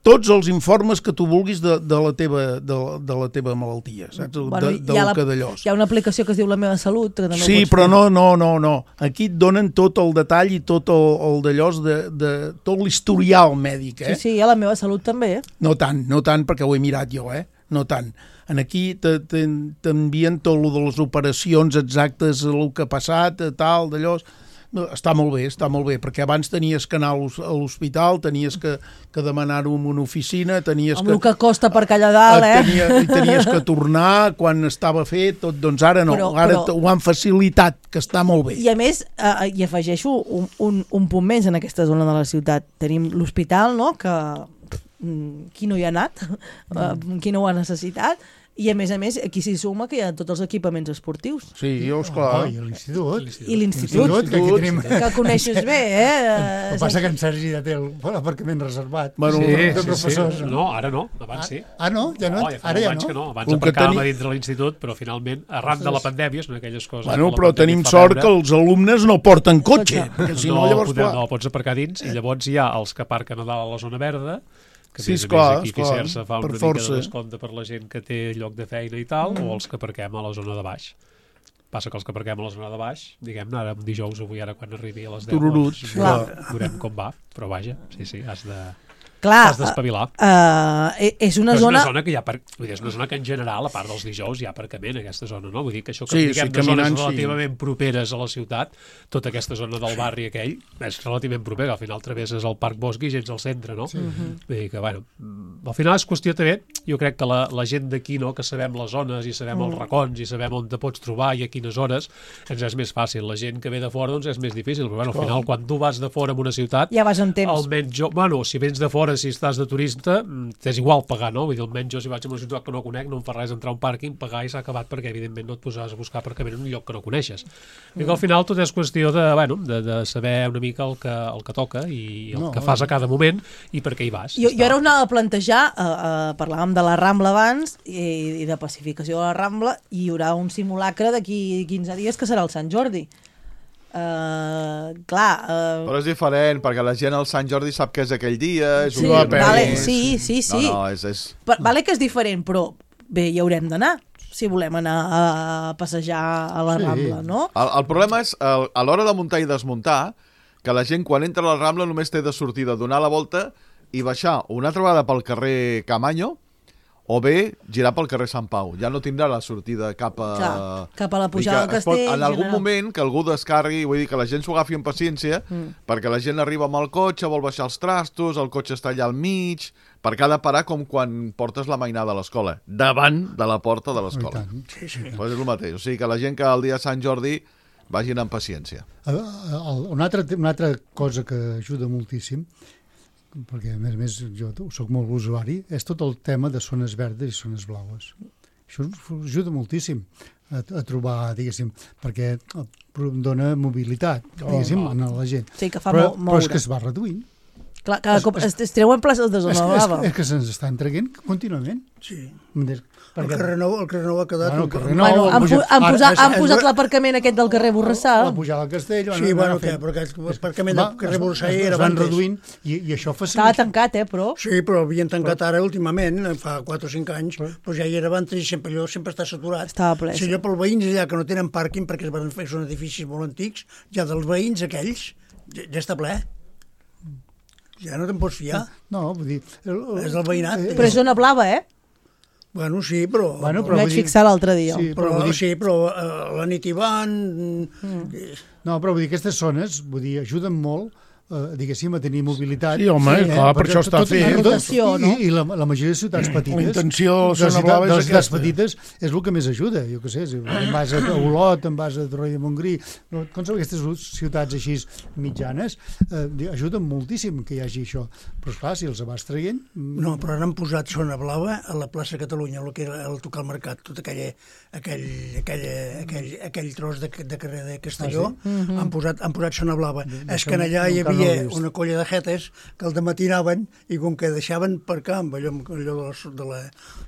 tots els informes que tu vulguis de, de, la, teva, de, de la teva malaltia, saps?
Bueno,
de, de
hi, ha
lo
la,
que d'allòs.
hi ha una aplicació que es diu La meva salut. Que també
Sí,
ho pots
però
fer.
no, no, no, no. Aquí et donen tot el detall i tot el, el d'allòs de, de tot l'historial mèdic, eh?
Sí, sí, hi ha La meva salut també, eh?
No tant, no tant, perquè ho he mirat jo, eh? No tant. En aquí t'envien tot el de les operacions exactes, el que ha passat, tal, d'allò. No, està molt bé, està molt bé, perquè abans tenies que anar a l'hospital, tenies que, que demanar-ho en una oficina, tenies
Amb
que...
el que costa per allà dalt, eh?
Tenia, tenies que tornar quan estava fet, tot, doncs ara no,
Però-
ara
però-
ho han facilitat, que està molt bé.
I a més, eh, hi afegeixo un, un, un punt més en aquesta zona de la ciutat. Tenim l'hospital, no?, que mm, qui no hi ha anat, mm. qui no ho ha necessitat, i a més a més aquí s'hi suma que hi ha tots els equipaments esportius.
Sí, jo, esclar.
Oh, i l'institut.
I l'institut,
que aquí tenim...
que coneixes bé, eh?
El que passa que en Sergi ja té l'aparcament reservat.
Bueno,
Sí,
de
sí, sí.
professors.
No, ara no, abans sí.
Ah, no? Ja no?
No, ja fa
Ara
molts
ja
anys
no?
que no. Abans
Com que
aparcàvem
teni-
a dintre l'institut, però finalment, arran de la pandèmia, són aquelles coses...
Bueno,
que la
però
pandèmia
tenim
fa
sort
veure.
que els alumnes no porten cotxe, perquè si no,
no,
llavors...
podem,
clar.
no, pots aparcar dins, i llavors hi ha els que aparquen a dalt a la zona verda, que
Sí,
a més a
esclar,
més aquí
esclar,
Fisersa fa
per
una
força.
mica de descompte per la gent que té lloc de feina i tal, mm. o els que aparquem a la zona de baix. Passa que els que aparquem a la zona de baix, diguem-ne, ara un dijous, avui ara quan arribi a les deu,
Tururuts,
doncs,
clar.
veurem, veurem com va, però vaja, sí, sí, has de...
Clar,
Has d'espavilar.
uh, és una
Però és
zona...
una zona que hi ha, per... vull dir, és una zona que en general, a part dels dijous, hi ha aparcament a aquesta zona, no? Vull dir que això que
Sí,
diguem
sí,
de zones
caminant, sí.
relativament properes a la ciutat, tota aquesta zona del barri aquell, és relativament propera, al final travesses el Parc Bosc i gens al centre, no? Sí. Vull dir que, bueno, al final és qüestió també, jo crec que la, la gent d'aquí, no?, que sabem les zones i sabem els racons i sabem on te pots trobar i a quines hores, ens és més fàcil. La gent que ve de fora, doncs és més difícil, però, bueno, al final, quan tu vas de fora en una ciutat,
Ja vas en temps.
almenys jo, bueno, si vens de fora, si estàs de turisme, t'és igual pagar, no? Vull dir, almenys jo si vaig a una ciutat que no conec no em fa res entrar a un pàrquing, pagar i s'ha acabat perquè evidentment no et posaràs a buscar aparcament en un lloc que no coneixes. I que al final tot és qüestió de, bueno, de, de saber una mica el que, el que toca i el
No,
que fas a cada moment i per què hi vas.
Jo,
Ja
jo ara
està.
us anava a plantejar, uh, uh, parlàvem de la Rambla abans i, i de pacificació de la Rambla, i hi haurà un simulacre d'aquí quinze dies que serà el Sant Jordi. Uh, clar... Uh,
Però és diferent, perquè la gent al Sant Jordi sap que és aquell dia, és
sí,
un dia
vale,
més.
sí, sí, sí.
No, no, és... és...
Pa- Vale que és diferent, però bé, hi haurem d'anar si volem anar a passejar a la
Sí.
Rambla, no?
El, el problema és, el, a l'hora de muntar i desmuntar, que la gent quan entra a la Rambla només té de sortir de donar la volta i baixar una altra vegada pel carrer Camanyo, o bé girar pel carrer Sant Pau. Ja no tindrà la sortida cap a...
Clar, cap a la
Vull dir
pujada
que
del
es pot-
castell,
En algun
general.
moment que algú descarregui, vull dir que la gent s'ho agafi amb paciència, mm. perquè la gent arriba amb el cotxe, vol baixar els trastos, el cotxe està allà al mig, perquè ha de parar com quan portes la mainada a l'escola, davant de la porta de
Oh, i
l'escola.
tant.
Sí, sí.
Pues és el mateix. O sigui que la gent que el dia de Sant Jordi vagin amb paciència.
El- el- Una altra, una altra cosa que ajuda moltíssim, perquè a més a més jo sóc molt usuari, és tot el tema de zones verdes i zones blaues. Això us ajuda moltíssim a, a trobar, diguéssim, perquè dona mobilitat, diguéssim, a la gent.
Sí, que fa
Però,
mo-
però és
moure.
que es va reduint.
Clar, cada cop es, es treuen places de
És,
zona
és,
blava.
és que se'ns estan traient contínuament.
Sí.
Perquè,
El carrer Nou, el carrer Nou ha quedat...
Bueno,
un-
el carrer
Bueno,
Nou,
han,
puja-
pu han,
ara-
posat, han
és-
posat
és-
l'aparcament aquest del carrer Borrassà.
la pujada al castell...
Sí,
van-
bueno,
van
què?
fent-
Perquè el aparcament
va-
del carrer
es-
Borrassà
es-
era
es van
abans.
reduint i, i això
Estava
facilita...
tancat, eh, però...
Sí, però havien tancat ara últimament, fa quatre o cinc anys, però ja hi era abans i sempre allò sempre està saturat.
Estava ple,
Si
sí.
allò pels veïns allà que no tenen pàrquing perquè es van fer, són edificis molt antics, ja dels veïns aquells, ja, ja està ple. Ja no te'n pots fiar.
No, vull dir... El, el,
És del veïnat.
eh,
Però és zona blava, eh?
Bueno, sí, però...
Bueno,
M'hi
però
vaig
vull dir-
fixar l'altre dia.
Sí,
però,
però vull dir,
sí, però uh, la nit hi van... Mm.
no, però vull dir, aquestes zones, vull dir, ajuden molt, eh, diguéssim, a tenir mobilitat.
Sí, home, clar, per
perquè
això està
tot-
fet.
tot-
Rotació, no?
I, i la, la majoria de ciutats petites...
La intenció de la
de
zona
ciutat-
blava és
de les ciutats
aquesta.
petites és el que més ajuda, jo què sé, si en vas a Olot, en vas a Torroella de Montgrí, no, com són aquestes ciutats així mitjanes, eh, di- ajuden moltíssim que hi hagi això. Però esclar, si els vas traient... mm,
No, però ara han posat zona blava a la plaça Catalunya, el que era el tocar al mercat, tot aquell, aquell, aquell, aquell, aquell tros de, de carrer de Castelló,
Ah, sí?
han, posat, han posat zona blava.
De-
És
d'això
que
no-
allà hi
encara no ho
havia
he vist.
una colla de jetes que el dematí anaven i com que deixaven per camp allò, allò de, la, de, la,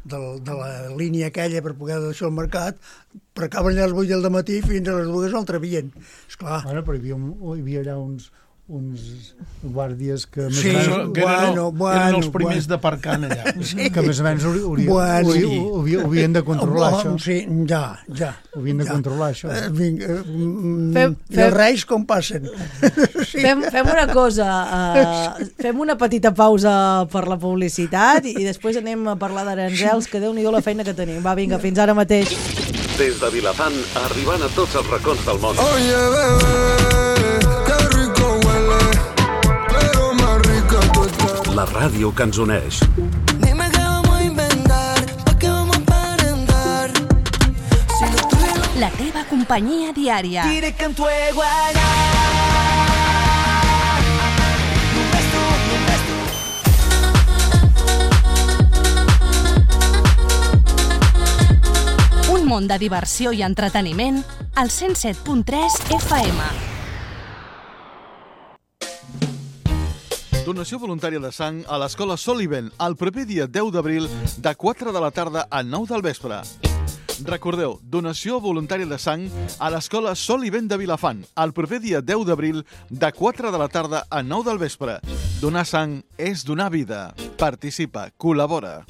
de, la, de la línia aquella per poder deixar el mercat, precaven allà a les vuit del matí fins a les dues el travien. Esclar,
Bueno, però hi havia, un, hi havia allà uns, uns guàrdies que més
Sí,
o menys,
Que eren,
bueno,
el,
bueno,
eren els primers
bueno.
d'aparcant allà.
que més o menys hauri- hauri-
Bueno,
hauri-
sí.
hauri- haurien de controlar
Oh,
això.
Sí, ja, ja.
Haurien de
ja.
controlar això.
Eh, vinga, eh, mm,
Fem-
I els reis com passen? Sí.
Fem, fem una cosa, uh, fem una petita pausa per la publicitat i després anem a parlar d'aranzels, que Déu-n'hi-do la feina que tenim. Va, vinga, fins ara mateix.
Des de Vilafant, arribant a tots els racons del món.
Oye, bebé, qué rico huele, pero más rica tú estás.
La ràdio que ens uneix.
Dime qué vamos a inventar, pa' qué vamos a aparentar. Si lo tuyo
La teva companyia diària.
diré que en tu iguana. Només tu, només tu.
Un món de diversió i entreteniment al cent set punt tres F M.
Donació voluntària de sang a l'escola Soliven el proper dia deu d'abril de quatre de la tarda a nou del vespre. Recordeu, donació voluntària de sang a l'escola Soliven de Vilafant el proper dia deu d'abril de quatre de la tarda a nou del vespre. Donar sang és donar vida. Participa, col·labora.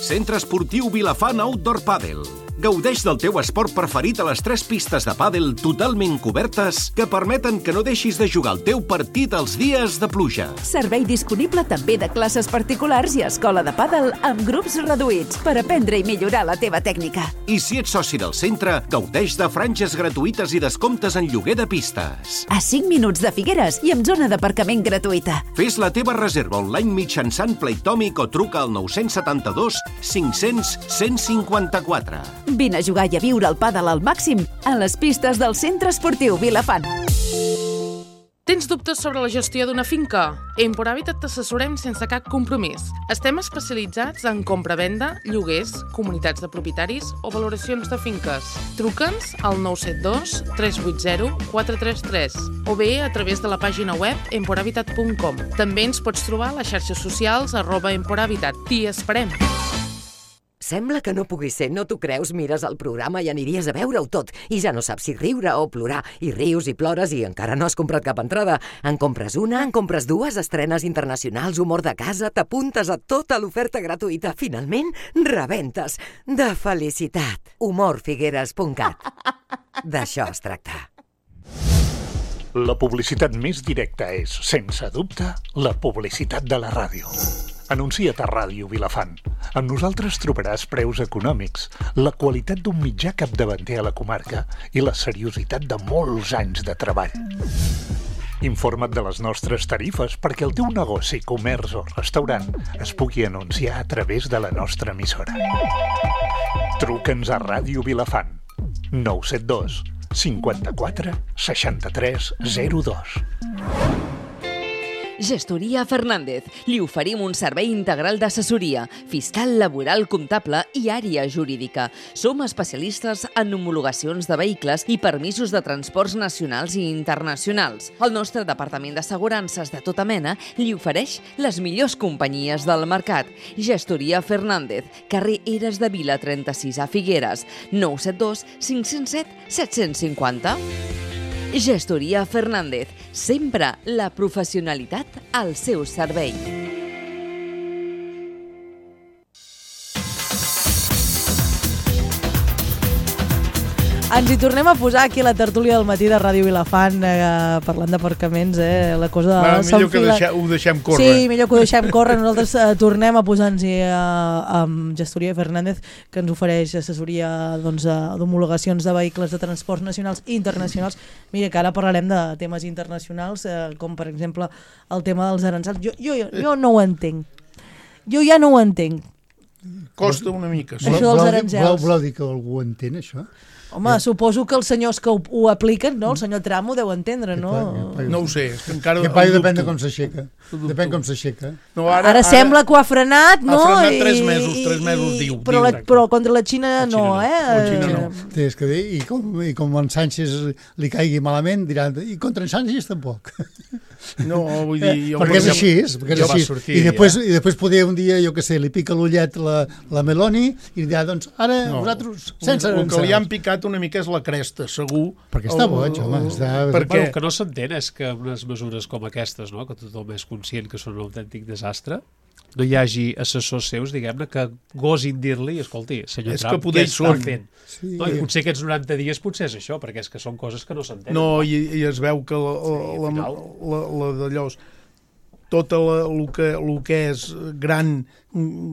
Centre Esportiu Vilafant Outdoor Padel. Gaudeix del teu esport preferit a les tres pistes de pàdel totalment cobertes que permeten que no deixis de jugar el teu partit els dies de pluja.
Servei disponible també de classes particulars i escola de pàdel amb grups reduïts per aprendre i millorar la teva tècnica.
I si ets soci del centre, gaudeix de franges gratuïtes i descomptes en lloguer de pistes.
A cinc minuts de Figueres i amb zona d'aparcament gratuïta.
Fes la teva reserva online mitjançant Playtomic o truca al nou set dos cinc cents cent cinquanta-quatre.
Vine a jugar i a viure el pàdel al màxim a les pistes del Centre Esportiu Vilafant.
Tens dubtes sobre la gestió d'una finca? A Empor Habitat t'assessorem sense cap compromís. Estem especialitzats en compra-venda, lloguers, comunitats de propietaris o valoracions de finques. Truca'ns al nou set dos tres vuit zero quatre tres tres o bé a través de la pàgina web emporhabitat punt com. També ens pots trobar a les xarxes socials arroba emporhabitat. T'hi esperem!
Sembla que no pugui ser, no t'ho creus? Mires el programa i aniries a veure-ho tot i ja no saps si riure o plorar, i rius i plores i encara no has comprat cap entrada. En compres una, en compres dues, estrenes internacionals, humor de casa, t'apuntes a tota l'oferta gratuïta. Finalment, rebentes. De felicitat. humor figueres punt cat. D'això es tracta.
La publicitat més directa és, sense dubte, la publicitat de la ràdio. Anuncia't a Ràdio Vilafant. Amb nosaltres trobaràs preus econòmics, la qualitat d'un mitjà capdavanter a la comarca i la seriositat de molts anys de treball. Informa't de les nostres tarifes perquè el teu negoci, comerç o restaurant es pugui anunciar a través de la nostra emissora. Truca'ns a Ràdio Vilafant. nou set dos cinquanta-quatre seixanta-tres zero dos.
Gestoria Fernández. Li oferim un servei integral d'assessoria, fiscal, laboral, comptable i àrea jurídica. Som especialistes en homologacions de vehicles i permisos de transports nacionals i internacionals. El nostre departament d'assegurances de tota mena li ofereix les millors companyies del mercat. Gestoria Fernández, carrer Eres de Vila trenta-sis a Figueres, nou set dos cinc zero set set cinquanta. Gestoria Fernández, sempre la professionalitat al seu servei.
Ens hi tornem a posar aquí a la tertúlia del matí de Ràdio Vilafant, eh, parlant d'aparcaments, eh, la cosa...
Va, millor que
s'enfila.
deixem, ho deixem córrer.
Sí, millor que ho deixem córrer. Nosaltres eh, tornem a posar-nos eh, amb Gestoria Fernández, que ens ofereix assessoria doncs, d'homologacions de vehicles de transports nacionals i internacionals. Mira, que ara parlarem de temes internacionals, eh, com per exemple el tema dels aranzels. Jo, jo, jo no ho entenc. Jo ja no ho entenc.
Costa una mica.
Sí. Això dels aranzels.
Voleu, voleu dir que algú entén, això?
Home, ja. Suposo que els senyors que ho, ho apliquen, no? El senyor Trump ho deu entendre, no?
No ho sé, és que encara...
Que paio depèn de com s'aixeca. Depèn com s'aixeca.
No,
ara, ara sembla que ho ha frenat, no?
Ha frenat tres mesos, tres mesos, diu.
Però, la, però contra la Xina, la Xina no, no, eh?
La Xina no.
Sí, és que dir, i com, i com en Sánchez li caigui malament, diran, i contra en Sánchez tampoc.
No, vull dir... Jo
perquè és així, perquè és així.
Sortir,
I després, ja. i després podia un dia, jo què sé, li pica l'ullet la, la Meloni i dirà, doncs, ara no, vosaltres, sense
el, el que li han picat falta una mica és la cresta, segur.
Perquè està boig, home. Està...
Perquè...
Bueno, el que no s'entén és que unes mesures com aquestes, no? Que tothom és conscient que són un autèntic desastre, no hi hagi assessors seus, diguem-ne, que gosin dir-li, escolti, senyor
és
Trump,
que poder
què està
són.
fent? Sí. No, I potser aquests noranta dies potser és això, perquè és que són coses que no s'entenen.
No, i, i es veu que la, sí, la, la, la, la d'allò... tot el que, el que és gran,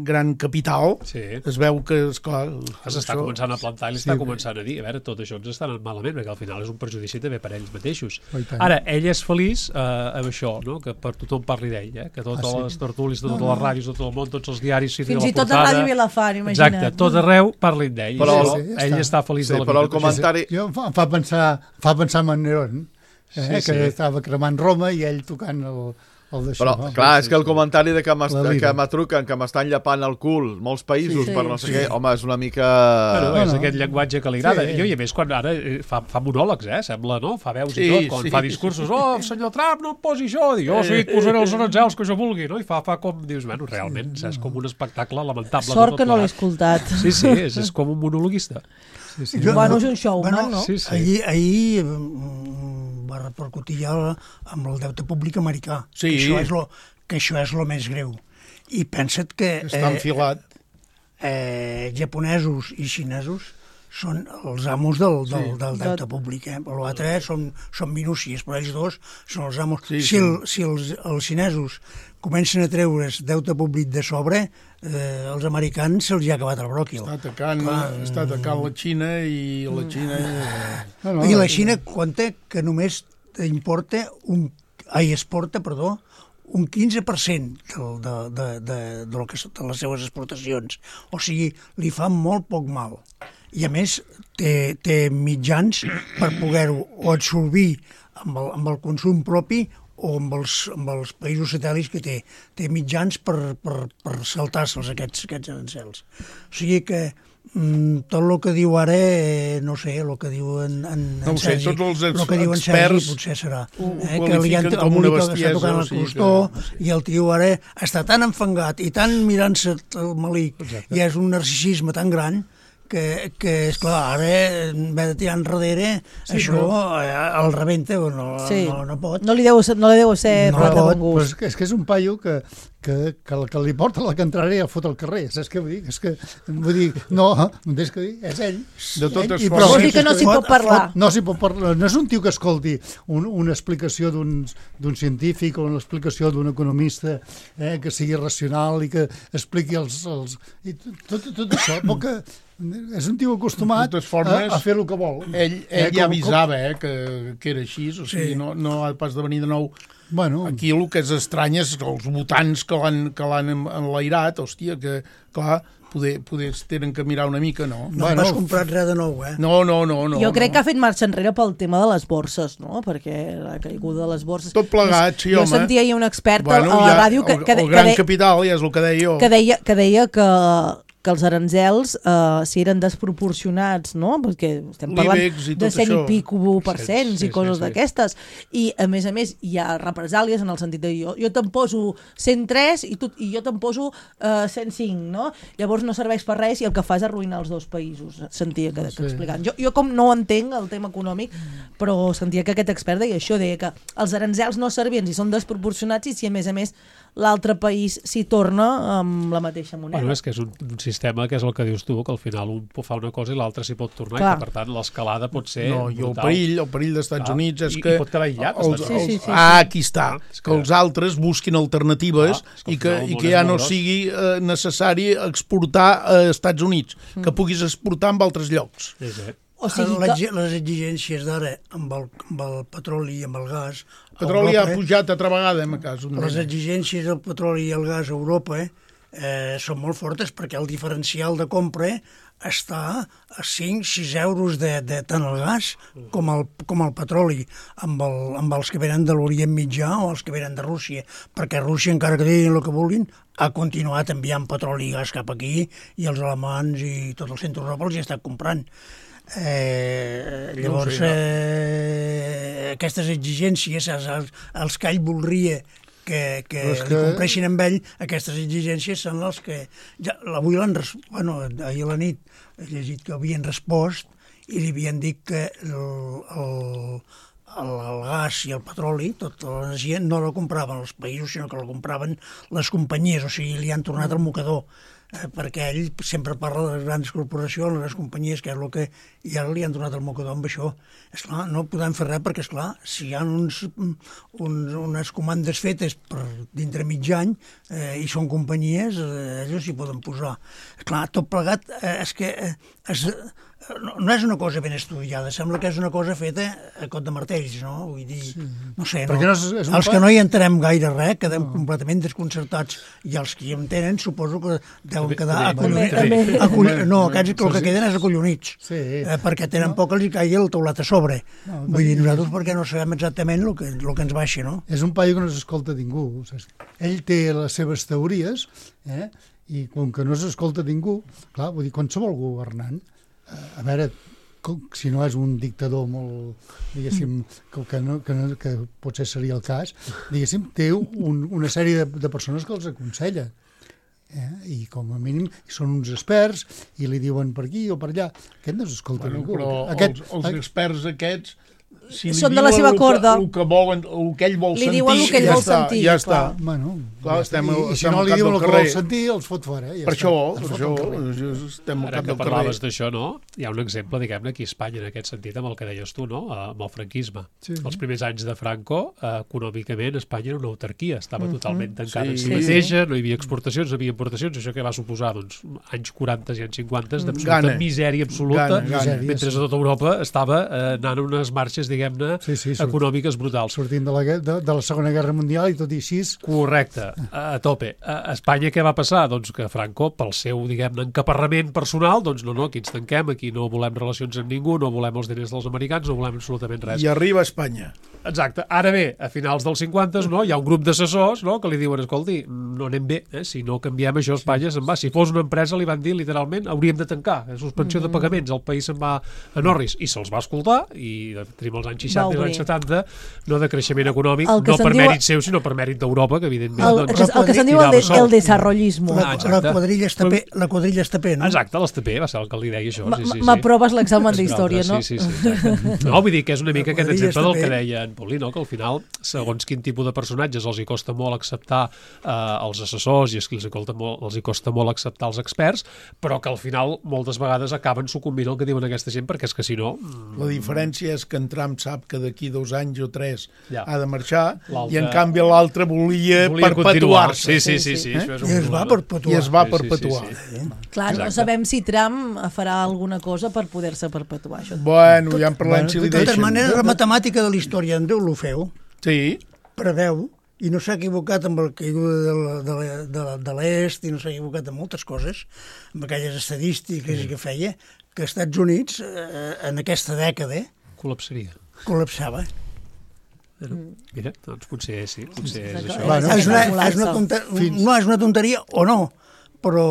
gran capital, sí. Es veu que, esclar...
S'està això... començant a plantar i li sí, està començant a dir, a veure, tot això ens està anant malament, perquè al final és un perjudici també per ells mateixos. Ara, ell és feliç eh, amb això, no? Que per tothom parli d'ell, eh? Que totes ah, sí. les tertúlies, de totes no, les ràdios, de tot el món, tots els diaris...
Fins i tot a Ràdio Vilafant, imagina't.
Exacte, tot arreu parlin d'ell.
Però
sí, sí, ell està feliç
sí,
de la
però
vida.
el comentari...
Jo, em fa pensar, fa pensar en Nerón, eh? Sí, que sí. Estava cremant Roma i ell tocant el...
Però, no? clar, és que el comentari de que m'atruquen, que m'estan llapant el cul molts països sí, per no sé sí. què, home, és una mica...
Bueno, és no, no. aquest llenguatge que li agrada. Sí. Jo, i a més, quan ara fa, fa monòlegs, eh, sembla, no? Fa veus sí, i tot, quan sí. fa discursos, oh, senyor Trump, no em posi això, diu, oh, sí, et posaré els aranzels que jo vulgui, no? I fa, fa com, dius, bueno, realment, és com un espectacle lamentable.
Sort que no l'he escoltat.
Sí, sí, és, és com un monologuista.
Sí, sí. Jo, bueno, és un showman, bueno, no?
Sí, sí. Ahir, ahir va repercutir ja amb el deute públic americà.
Sí.
Que això és lo, que això és el més greu. I pensa't que...
Està enfilat.
Eh, eh, japonesos i xinesos són els amos del, del, sí. del deute públic. Eh? L'altre són, són minúcies, però ells dos són els amos. Sí, si el, si els, els xinesos comencen a treure's deute públic de sobre, eh, els americans se'ls ha acabat el bròquil.
Està atacant, està atacant la Xina i la Xina...
No, no, I la Xina compta que només importa un... Ai, exporta, perdó, un quinze per cent de, de, de, de, de, lo que, de les seves exportacions. O sigui, li fa molt poc mal. I a més té, té mitjans per poder-ho o absorbir amb el, amb el consum propi o amb els, amb els països satèl·lits que té. Té mitjans per, per, per saltar-se'ls aquests, aquests arancels. O sigui que mm, tot el que diu ara, eh, no sé, el que diu en, en,
no
en Sergi,
sé, tots els ex,
el que diu en Sergi potser serà.
Eh, que li han com una bestiesa.
Està tocant el costó que... i el tio ara està tan enfangat i tan mirant-se el malic. Exacte. I és un narcisisme tan gran que, que esclar, ara haver de tirar enrere, sí, això però... el rebenta, no, sí. no, no pot.
No li deu, no li deu ser
no pot,
bon gust.
Però és, que, és que és un paio que, que, que, que li porta la contraria el fot al carrer, saps què vull dir? És que, vull dir, no, no tens que dir, és ell.
De totes
ell, formes. Vol dir que no s'hi pot parlar.
Fot, no s'hi pot parlar, no és un tio que escolti un, una explicació d'un científic o una explicació d'un economista eh, que sigui racional i que expliqui els... els i tot, tot això, però que és un tio acostumat formes, a, a fer el que vol.
Ell, ell eh, ja avisava eh, que, que era així, o sigui, sí. no, no ha pas de venir de nou.
Bueno.
Aquí el que és estrany és els votants que l'han enlairat, hòstia, que, clar, poder, poder tenen que mirar una mica, no?
No bueno, has comprat res de nou, eh?
No, no, no. no
jo crec
no.
que ha fet marxa enrere pel tema de les borses, no? Perquè la caiguda de les borses...
Tot plegat, sí,
jo
home.
Jo sentia ahir un expert
bueno,
a la
ja,
ràdio que...
El,
que,
el
que
gran
de,
capital, ja és el que deia jo.
Que deia que, deia que que els arancels, eh, si eren desproporcionats, no? Perquè estem parlant de cent i pico per cents sí, sí, i coses sí, sí. d'aquestes. I, a més a més, hi ha represàlies en el sentit de jo, jo te'n poso cent tres i, tu, i jo te'n poso eh, cent cinc, no? Llavors no serveix per res i el que fa és arruïnar els dos països, sentia que, que explicant. Jo, jo com no entenc el tema econòmic, però sentia que aquest expert deia això, deia que els arancels no servien si són desproporcionats i si a més a més l'altre país s'hi torna amb la mateixa moneda.
Bueno, és que és un, un sistema que és el que dius tu, que al final un fa una cosa i l'altre s'hi pot tornar.
Clar.
I que per tant l'escalada pot ser
no, i el
brutal.
perill, el perill dels Estats Clar. Units és
I,
que...
I pot quedar aïllat.
Els,
sí, sí, sí, sí.
Ah, aquí està. Ah, que... que els altres busquin alternatives ah, que i que, i que ja no gros. sigui eh, necessari exportar a Estats Units, mm. que puguis exportar en altres llocs.
Sí, sí.
O sigui que...
Les exigències d'ara amb, el, amb el petroli i amb el gas...
El petroli Europa, ha pujat altra vegada, en cas.
Les exigències del petroli i el gas a Europa eh, són molt fortes perquè el diferencial de compra està a cinc sis euros de, de tant el gas com el, com el petroli amb, el, amb els que venen de l'Orient Mitjà o els que venen de Rússia, perquè Rússia, encara que diguin el que vulguin, ha continuat enviant petroli i gas cap aquí i els alemans i tot el centre d'Europa els hi ha estat comprant. Eh, llavors no sé, no. eh, aquestes exigències els, els, els que ell voldria que, que, que... compleixin amb ell, aquestes exigències són les que ja, avui l'han bueno, ahir a la nit he llegit que havien respost i li havien dit que el, el, el, el gas i el petroli, tota l'energia, no la compraven els països, sinó que la compraven les companyies, o sigui, li han tornat al mocador. Eh, perquè ell sempre parla de les grans corporacions, les grans companyies, que és el que... I ara li han donat el mocador amb això. Esclar, no podem fer res perquè, esclar, si hi ha uns, uns, unes comandes fetes per dintre mig any eh, i són companyies, eh, ells s'hi poden posar. Esclar, tot plegat eh, és que eh, és, no, no és una cosa ben estudiada, sembla que és una cosa feta a cot de martells, no? Vull dir, sí. no sé, no? no és, és els que no hi entenem gaire res quedem no. completament desconcertats, i els que hi entenen suposo que deuen quedar acollonits. Acoll... No, aquests el que queden és acollonits, sí. eh, perquè tenen no. poc els hi caigui el teulat a sobre. No, Vull dir, nosaltres perquè no sabem exactament el que, el que ens baixa, no?
És un paio que no s'escolta ningú. O sigui, ell té les seves teories, eh? I com que no s'escolta ningú, clar, vull dir, qualsevol governant, a veure, si no és un dictador molt, diguéssim, que, que, no, que, no, que potser seria el cas, diguéssim, té un, una sèrie de, de persones que els aconsella. Eh? I com a mínim són uns experts i li diuen per aquí o per allà. Aquest no s'escolta
bueno,
ningú.
Però
Aquest,
els, els experts aquests, si
són de la seva corda.
El que, volen, el que ell vol
li
sentir,
diuen el que ell
ja
vol
està,
sentir.
ja està.
Bueno,
clar, estem,
I, i si
estem
no li diuen el que
carrer.
vol sentir, els fot fora. Ja
per
està.
això, per això, estem al
Ara
cap
que
del
parlaves
carrer.
d'això, no? Hi ha un exemple, diguem-ne, aquí a Espanya, en aquest sentit, amb el que deies tu, no? Amb el franquisme.
Sí.
Els primers anys de Franco, eh, econòmicament, Espanya era una autarquia, estava mm-hmm. totalment tancada
Sí.
en si mateixa, no hi havia exportacions, no hi havia importacions, això que va suposar, doncs, anys quaranta i anys cinquanta d'absoluta
Gana.
misèria absoluta,
Gana, gana.
mentre a tota Europa estava eh, anant unes marxes, diguem-ne,
Sí, sí, surt.
econòmiques brutals.
Sortint de la, de, de la Segona Guerra Mundial i tot i així...
Correcte, a, a tope. A Espanya què va passar? Doncs que Franco, pel seu, diguem-ne, encaparrament personal, doncs no, no, aquí ens tanquem, aquí no volem relacions amb ningú, no volem els diners dels americans, no volem absolutament res.
I arriba a Espanya.
Exacte. Ara bé, a finals dels cinquanta, no, hi ha un grup d'assessors, no, que li diuen, escolti, no anem bé, eh? Si no canviem això, Espanya se'n va. Si fos una empresa, li van dir, literalment, hauríem de tancar, suspensió de pagaments, el país se'n va a Norris. I se'ls va escoltar, i tenim els anys seixanta i els anys setanta, no de creixement econòmic, no per
diu...
mèrit seu, sinó per mèrit d'Europa, que evidentment...
El,
doncs,
el, el que se'n diu el, de, el desarrollismo.
La, ah, la quadrilla Estapé, la quadrilla Estapé, no?
Exacte, l'Estapé va ser el que li deia això. Sí, sí, sí.
M'aproves l'examen d'història, no?
Sí, sí, sí. No, vull dir que és una mica aquest exemple del que deia en Paulí, no? Que al final, segons quin tipus de personatges els hi costa molt acceptar eh, els assessors i és que els hi, costa molt, els hi costa molt acceptar els experts, però que al final moltes vegades acaben sucumbint el que diuen aquesta gent, perquè és que si no...
La diferència és que en Trump sap que d'aquí dos anys o tres
ja.
ha de marxar i en canvi l'altre volia, volia perpetuar-se.
Sí, sí, sí. sí, sí.
Eh? I es va perpetuar.
I es va perpetuar.
Sí, sí, sí.
Clar, no sabem si Trump farà alguna cosa per poder-se perpetuar. Això.
Bueno, ja en parlem si li
deixen. De totes maneres, la
de...
matemàtica de la història en Déu lo feu.
Sí.
Preveu, i no s'ha equivocat amb el caiguda de, la, de, la, de, la, de l'est, i no s'ha equivocat amb moltes coses, amb aquelles estadístiques sí. que feia, que als Estats Units, eh, en aquesta dècada...
Col·lapsaria.
Col·lapsava.
Mira, doncs potser sí, potser és això.
Bueno, és una, és una tonteria, no és una tonteria o no, però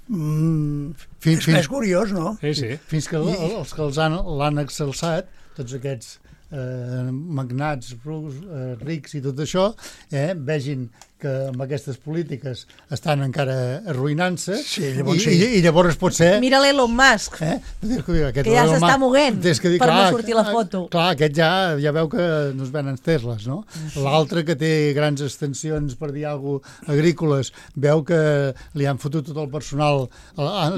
mm, fins, és, fins, és curiós, no?
Sí, sí.
Fins que I, els que els han, l'han exalçat, tots aquests eh, magnats eh, rics i tot això, eh, vegin que amb aquestes polítiques estan encara arruïnant-se
sí,
i, sí. i, i llavors pot ser...
Mira l'Elon Musk,
eh?
que ja s'està moguent dir, per clar, no sortir la foto.
Clar, aquest ja, ja veu que no es venen Tesles, no? Sí. L'altre que té grans extensions, per dir alguna cosa, agrícoles, veu que li han fotut tot el personal,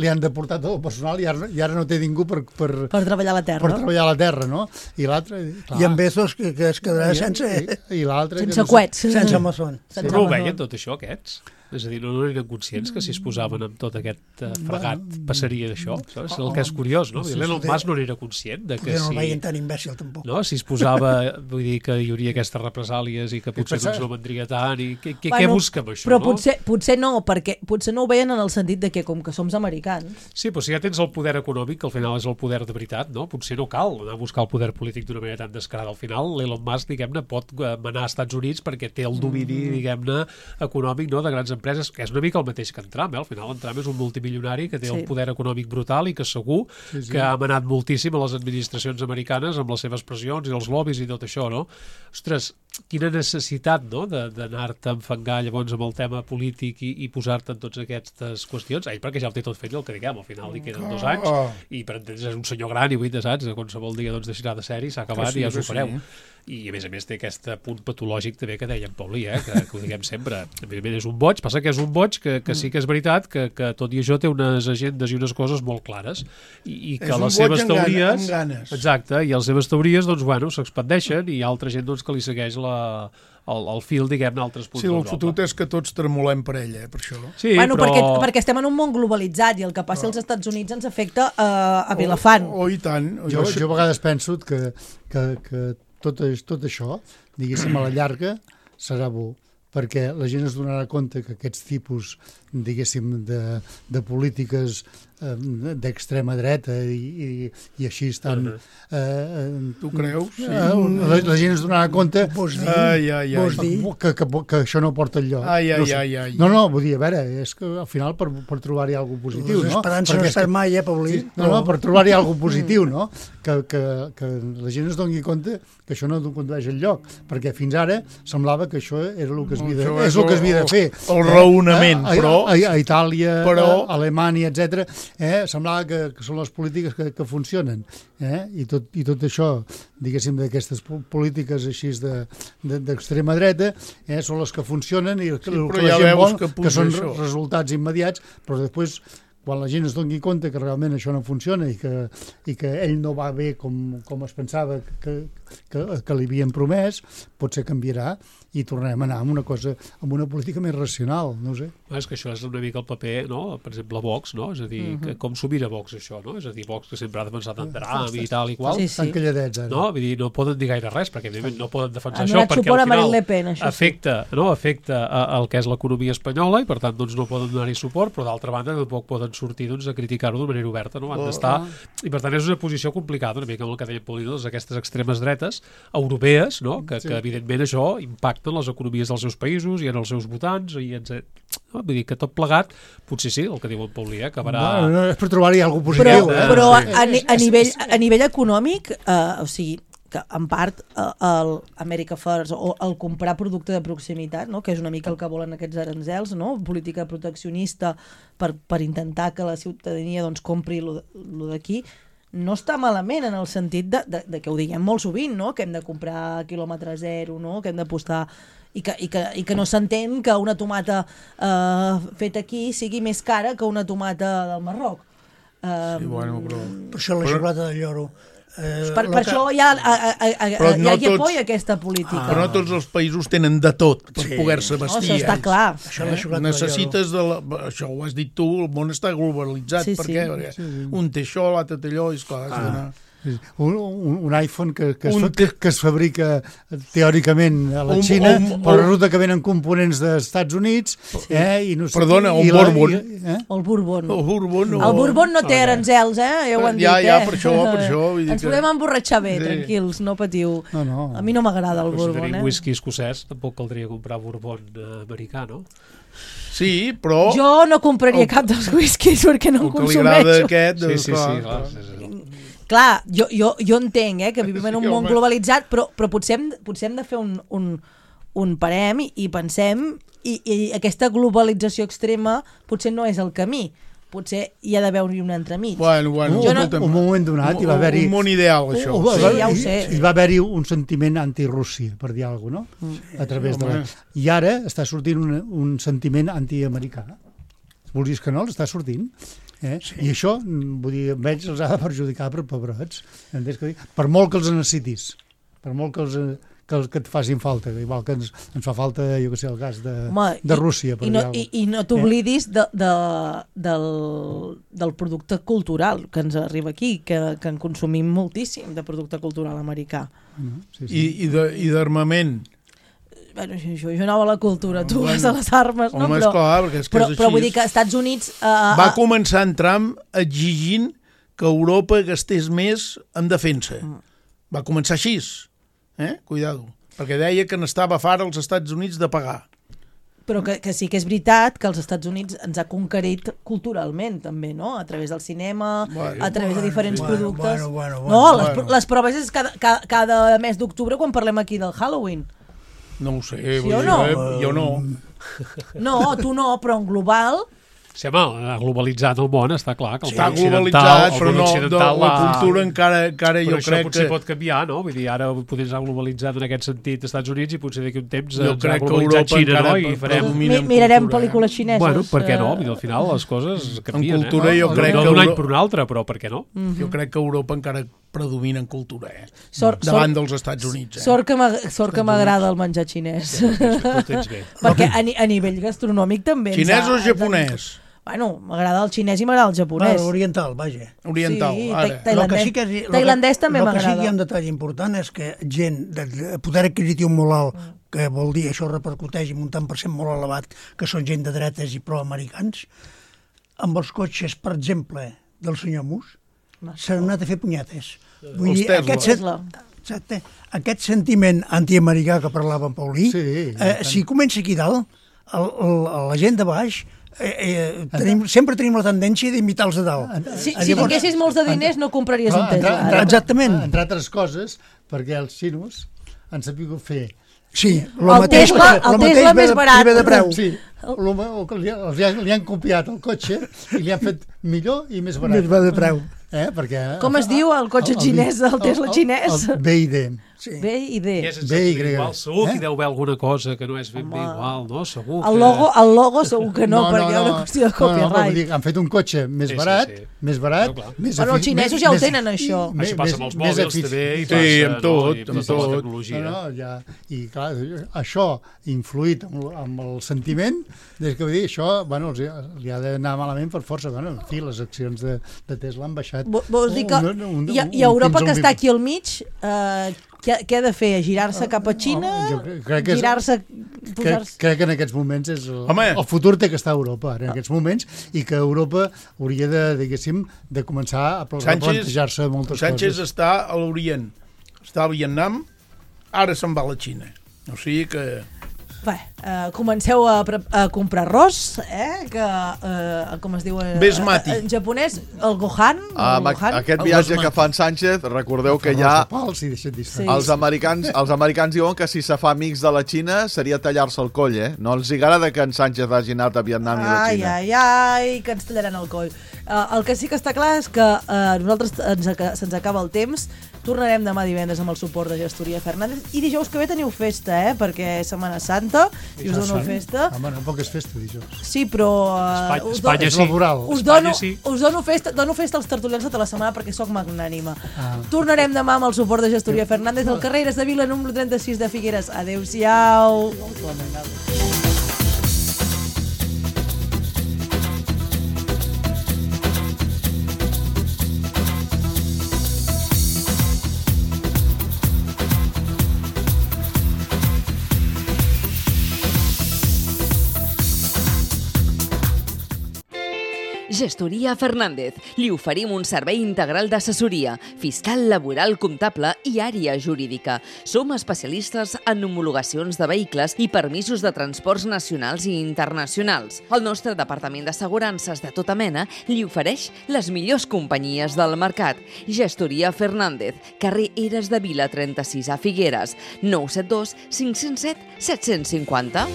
li han deportat tot el personal i ara, i ara no té ningú per... Per,
per treballar a la terra.
Per treballar a la terra, no? I l'altre...
I en Bezos, que, que es quedarà
I,
sense...
I, i l'altre...
Sense coets.
Sense Amazon.
Sense
Però ho veien tot això, aquests? És a dir, no, no eren conscients que si es posaven amb tot aquest uh, fregat passaria d'això, saps? El que és curiós, no? L'Elon Musk no era conscient de que
no
si...
el veien tan imbècil, tampoc.
No? Si es posava, vull dir, que hi hauria aquestes represàlies i que potser doncs, no vendria tant i què, què,
bueno,
què busca amb això,
però
no?
potser, potser no, perquè potser no ho veien en el sentit de que com que som americans...
Sí, però si ja tens el poder econòmic, que al final és el poder de veritat, no? Potser no cal anar a buscar el poder polític d'una manera tan descarada. Al final, l'Elon Musk, diguem-ne, pot manar als Estats Units perquè té el domini, diguem-ne, econòmic, no?, de grans empreses empreses, que és una mica el mateix que en Trump, eh? Al final en Trump és un multimilionari que té
Sí.
un poder econòmic brutal i que segur
Sí, sí.
que ha manat moltíssim a les administracions americanes amb les seves pressions i els lobbies i tot això, no? Ostres, quina necessitat, no?, de- d'anar-te a enfangar llavors amb el tema polític i, i posar-te en totes aquestes qüestions. Ell perquè ja ho té tot fet i el que diguem, al final li queden dos anys
Ah.
i per entendre's és un senyor gran i vull de saps, de qualsevol dia doncs deixarà de ser-hi, s'ha acabat
Que sí,
i ja us
que
ho fareu.
sí.
I a més a més té aquest punt patològic també que deia en Paulí, eh? que, que ho diguem sempre. Evidentment és un boig, passa que és un boig que, que sí que és veritat que, que tot i això té unes agendes i unes coses molt clares i, i que
És un
les
boig
seves
amb gana-
teories...
amb ganes.
Exacte, i les seves teories doncs, bueno, s'expandeixen i hi ha altra gent doncs, que li segueix la, el, el fil, diguem-ne, a altres punts
Sí, el
d'Europa.
fotut és que tots tremolem per ell, eh, per això.
Sí,
bueno,
però...
perquè, perquè estem en un món globalitzat i el que passi als Estats Units ens afecta uh, a Vilafant.
Oh, i tant.
Jo, jo a vegades penso que, que, que tot, tot això, diguéssim, a la llarga, serà bo, perquè la gent es donarà compte que aquests tipus, diguéssim, de, de polítiques eh, d'extrema dreta i, i, i així estan... Eh, eh,
tu creus? Sí.
Eh, la, la gent es donarà compte
Vols dir?
Ai, ai, ai.
Vols dir?
que, que, que això no porta enlloc.
Ai, ai,
no sé.
ai, ai.
No, no, vull dir, a veure, és que al final per, per trobar-hi alguna cosa positiu,
Les
no?
esperances no
Perquè és
estan
que-
mai, eh, Paulí?
Sí, no, no, per trobar-hi alguna cosa positiu, no? Que, que, que la gent es doni compte que això no condueix enlloc, perquè fins ara semblava que això era el que es havia de,
Això
és
és
el que es havia de
el-
fer.
el raonament,
a,
però-
A, a Itàlia,
però-
a Alemanya, etcètera, eh, semblava que, que són les polítiques que, que funcionen. Eh? I, tot, I tot això, diguéssim, d'aquestes po- polítiques així de- de- d'extrema dreta, eh, són les que funcionen i el que,
Sí,
el
però
que la
ja
gent
veus
vol,
que
que,
puja
són
això.
resultats immediats, però després quan la gent es doni compte que realment això no funciona i que, i que ell no va bé com, com es pensava que, que, que li havien promès, potser canviarà i tornarem a anar amb una cosa, amb una política més racional, no ho sé.
És que això és una mica el paper, no? Per exemple, Vox, no? És a dir,
Mhm.
que, com s'ho mira Vox, això, no? És a dir, Vox que sempre ha defensat en Dram i tal i qual.
Sí, sí.
Estan calladets, ara.
No? Vull dir, no poden dir gaire res, perquè evidentment no poden defensar
Han
això,
donat
perquè
suport
al
a Marine
final
Le Pen, això sí.
afecta, no? afecta a, al que és l'economia espanyola i per tant doncs, no poden donar-hi suport, però d'altra banda tampoc poden sortir doncs, a criticar-ho de manera oberta, no? Han d'estar... I per tant és una posició complicada, una mica amb el que deia Paulí, doncs, aquestes extremes dretes europees, no? que,
Sí.
que evidentment això impacta en les economies dels seus països i en els seus votants i en... No? Vull dir que tot plegat, potser sí, el que diu en Paulí, eh? acabarà...
No, no, és per trobar-hi alguna cosa
Però,
positiva.
però a,
Sí.
a, ni- a, nivell, a nivell econòmic, eh, o sigui, que en part eh, el America First o el comprar producte de proximitat, no? que és una mica el que volen aquests aranzels, no? política proteccionista per, per intentar que la ciutadania doncs, compri lo, lo d'aquí, no està malament en el sentit de, de, de que ho diguem molt sovint, no? que hem de comprar a quilòmetre zero, no? que hem d'apostar i que, i, que, i que no s'entén que una tomata eh, feta aquí sigui més cara que una tomata del Marroc. Eh,
Sí, bueno, però...
Per això la xocolata de lloro. Eh,
per, per això hi ha, a, a, a,
Però
hi
no
ha qui
tots-
apoya aquesta política.
Ah. Però no tots els països tenen de tot per
Sí.
poder-se
No,
vestir.
això està
ells.
clar.
Això la xocolata de
Necessites de la... Això ho has dit tu, el món està globalitzat.
Sí,
per
sí.
què? Perquè un té això, l'altre té allò, i esclar, has d'anar...
Un, un, un iPhone que, que, es,
Un
fa, que, que es fabrica teòricament a la
Un-
Xina,
un-
però
un-
resulta que venen components dels Estats Units, eh, i no sé
Perdona,
qui-
un
i la-
Bourbon.
i- eh?
El Bourbon.
El Bourbon no...
El Bourbon no té aranzels, eh? Ja ho han
Ja,
dit,
ja,
eh?
per això, per això, vull dir
Ens
que-
podem emborratxar bé,
Sí.
tranquils, no patiu.
No, no.
A mi no m'agrada el
Però si
Bourbon,
tenim
eh?
whisky escocès, tampoc caldria comprar Bourbon eh, americà, no?
Sí, però...
Jo no compraria
El-
cap dels whiskies perquè no
el
en
que li agrada
consumeixo.
aquest...
Sí,
doncs,
sí,
clar,
sí, clar.
clar.
sí, sí.
Clar, jo, jo, jo entenc eh, que vivim en un
Sí,
món
home.
globalitzat, però, però potser, hem, potser hem de fer un, un, un parem i, i pensem i, i aquesta globalització extrema potser no és el camí. Potser hi ha d'haver-hi un entremig.
Bueno, bueno,
Un,
escolta'm,
un moment donat hi va
un-
haver-hi...
Un món ideal, això.
Uh, uh,
Sí,
va-
ja ho
hi-
sé.
Hi va haver-hi un sentiment anti-Rússia, per dir alguna cosa, no? A través de la...
home.
I ara està sortint un, un sentiment anti-americà. Vulguis que no, l'està sortint. Eh? Sí. I això, mm, vull dir, amb ells els ha de perjudicar per pebrots. Entens què dic? Per molt que els necessitis, per molt que, els, eh, que, els, que et facin falta, igual que ens, ens fa falta, jo què sé, el gas de,
Home,
de
i-
Rússia, per
I
dir
no,
alguna
i,
cosa.
i no t'oblidis de, de, del, del producte cultural que ens arriba aquí, que, que en consumim moltíssim de producte cultural americà.
No? Sí, sí.
I, i de- i d'armament.
Bueno, això, això anava a la cultura, tu
Bueno,
vas a les armes, no?
home,
Però,
esclar, perquè és que
però,
és
però
així.
vull dir que als Estats Units... Uh,
Va començar en Trump exigint que Europa gastés més en defensa.
Mm.
Va començar així. Eh? Cuidado. Perquè deia que n'estava fart als Estats Units de pagar.
Però que, que sí que és veritat que els Estats Units ens ha conquerit culturalment, també, no? A través del cinema,
bueno,
a través de diferents
bueno,
productes.
bueno, bueno,
no,
bueno,
les,
bueno.
les proves és cada, cada, cada mes d'octubre quan parlem aquí del Halloween.
No ho sé.
Sí o no?
Jo no.
No, tu no, però en global...
Sí, home, globalitzat el món, està clar que el
Està
món occidental,
globalitzat,
el
però
món
no, de,
occidental
la
ha-
cultura encara, encara
Però
jo
això
crec
potser
que...
pot canviar, no? Vull dir, ara potser s'ha globalitzat en aquest sentit als Estats Units i potser d'aquí un temps
Jo
ens ha
crec que
globalitzat
Europa
Xina,
encara
no? I farem...
predomina en
Mirarem
cultura,
pel·lícules
eh?
xineses.
Bueno, per què no?
eh,
Vull dir, al final les coses canvien,
En cultura
eh?
jo
No,
crec
no
que
d'un any
Euro-
per un altre, però per què no?
Mhm.
Jo crec que Europa encara predomina en cultura, eh?
Sort-
Davant
sort-
dels Estats Units, eh?
Sort que m'ag- sort que m'agrada el menjar xinès.
ho tens bé.
Perquè a, ni- a nivell gastronòmic també... ens
Xinès
ha-
o japonès?
Bueno, m'agrada el xinès i m'agrada el japonès.
Bueno, oriental, vaja.
Oriental,
Sí,
ara.
tai-
Lo que
tailandès,
sí que és- lo que-
tailandès també
lo que sí que hi ha
m'agrada.
un detall important és que gent de de poder adquisitiu molt alt, que vol dir això repercuteix en un tant per cent molt elevat, que són gent de dretes i proamericans, amb els cotxes, per exemple, del senyor Mus, s'han anat a fer punyetes. Vull
Els
dir,
Tesla.
aquest, sen- exacte, aquest sentiment antiamericà que parlava en Paulí,
Sí,
eh, si comença aquí dalt, el, el, la gent de baix, eh, eh, tenim, sempre tenim la tendència d'imitar els de dalt.
Si, si tinguessis molts de diners no compraries un
Clar,
Tesla.
entre,
ara.
entre,
Exactament.
Entre altres coses, perquè els xinos han sabut fer...
Sí, lo
El
mateix,
Tesla-
lo
el
mateix
Tesla
ve
més
de-
barat.
ve de preu.
Sí, el, el, li, li, han, li han copiat el cotxe i li han fet millor i més barat.
Més va de preu.
Eh? Perquè,
Com es diu el cotxe xinès, el Tesla xinès?
El B I D.
Sí.
B i D.
I és
B Y.
exactament igual. Segur que
Eh?
hi deu haver alguna cosa que no és ben bé igual, no? Segur que...
El logo, el logo segur que no, perquè hi ha una qüestió de
No, no, però vull
copyright.
dir, han fet un cotxe més
Sí, sí,
barat,
sí.
més barat,
No, clar.
més
Bueno, els
efi-
xinesos
més-
ja ho
més-
tenen, això.
més-
Això passa amb
més-
els
més
mòbils
efici-
també i
Sí,
passa,
amb tot,
no? I
amb
tota la
tot.
tecnologia.
No, no, ja, i clar, això influït amb, amb el sentiment, des que vull dir, això, bueno, els, li ha d'anar malament per força, bueno, en fi, les accions de, de Tesla han baixat.
Vo- Vols dir que
un- un-
i,
un-
i Europa,
fins
que
a un
està
vint-
aquí al mig, eh, què, què ha de fer? Girar-se cap a Xina?
Jo crec- crec que és-
Girar-se...
Crec,
Posar-se...
crec que en aquests moments és el,
Home.
el futur té que estar a Europa, ara, en aquests moments, i que Europa hauria de, diguéssim, de començar a pl- a plantejar-se moltes
Sánchez
coses.
està a l'Orient, està al Vietnam, ara se'n va a la Xina. O sigui que...
Bé, eh, comenceu a, pre- a comprar arròs, eh, que, eh, com es diu en,
Basmati.
en japonès, el Gohan.
Ah,
el
amb
Gohan.
aquest
El
viatge
basmati.
que fa en Sánchez, recordeu que
Arròs
ja
de pals i deixa't distrar.
Sí.
els americans, els americans diuen que si se fa amics de la Xina seria tallar-se el coll, eh? No els agrada que en Sánchez hagi anat a Vietnam i a la
Ai,
Xina.
ai, ai, que ens tallaran el coll. Uh, el que sí que està clar és que uh, nosaltres ens, aca- se'ns acaba el temps. Tornarem demà divendres amb el suport de Gestoria Fernández. I dijous que ve teniu festa, eh? Perquè és Setmana Santa i us dono festa.
Home, no poc és festa, dijous.
Sí, però... Uh,
Espanya,
us,
Espanya
És
sí.
laboral.
us,
Espanya
dono,
sí.
us dono festa, dono festa als tertulians tota la setmana perquè sóc magnànima.
Ah.
Tornarem demà amb el suport de Gestoria Fernández al carrer Eres de Vila, número trenta-sis de Figueres. Adéu-siau.
Gestoria Fernández. Li oferim un servei integral d'assessoria, fiscal, laboral, comptable i àrea jurídica. Som especialistes en homologacions de vehicles i permisos de transports nacionals i internacionals. El nostre departament d'assegurances de tota mena li ofereix les millors companyies del mercat. Gestoria Fernández, carrer Eres de Vila trenta-sis a Figueres, nou set dos cinc zero set set cinc zero.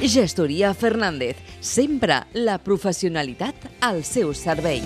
Gestoria Fernández, sempre la professionalitat al seu servei.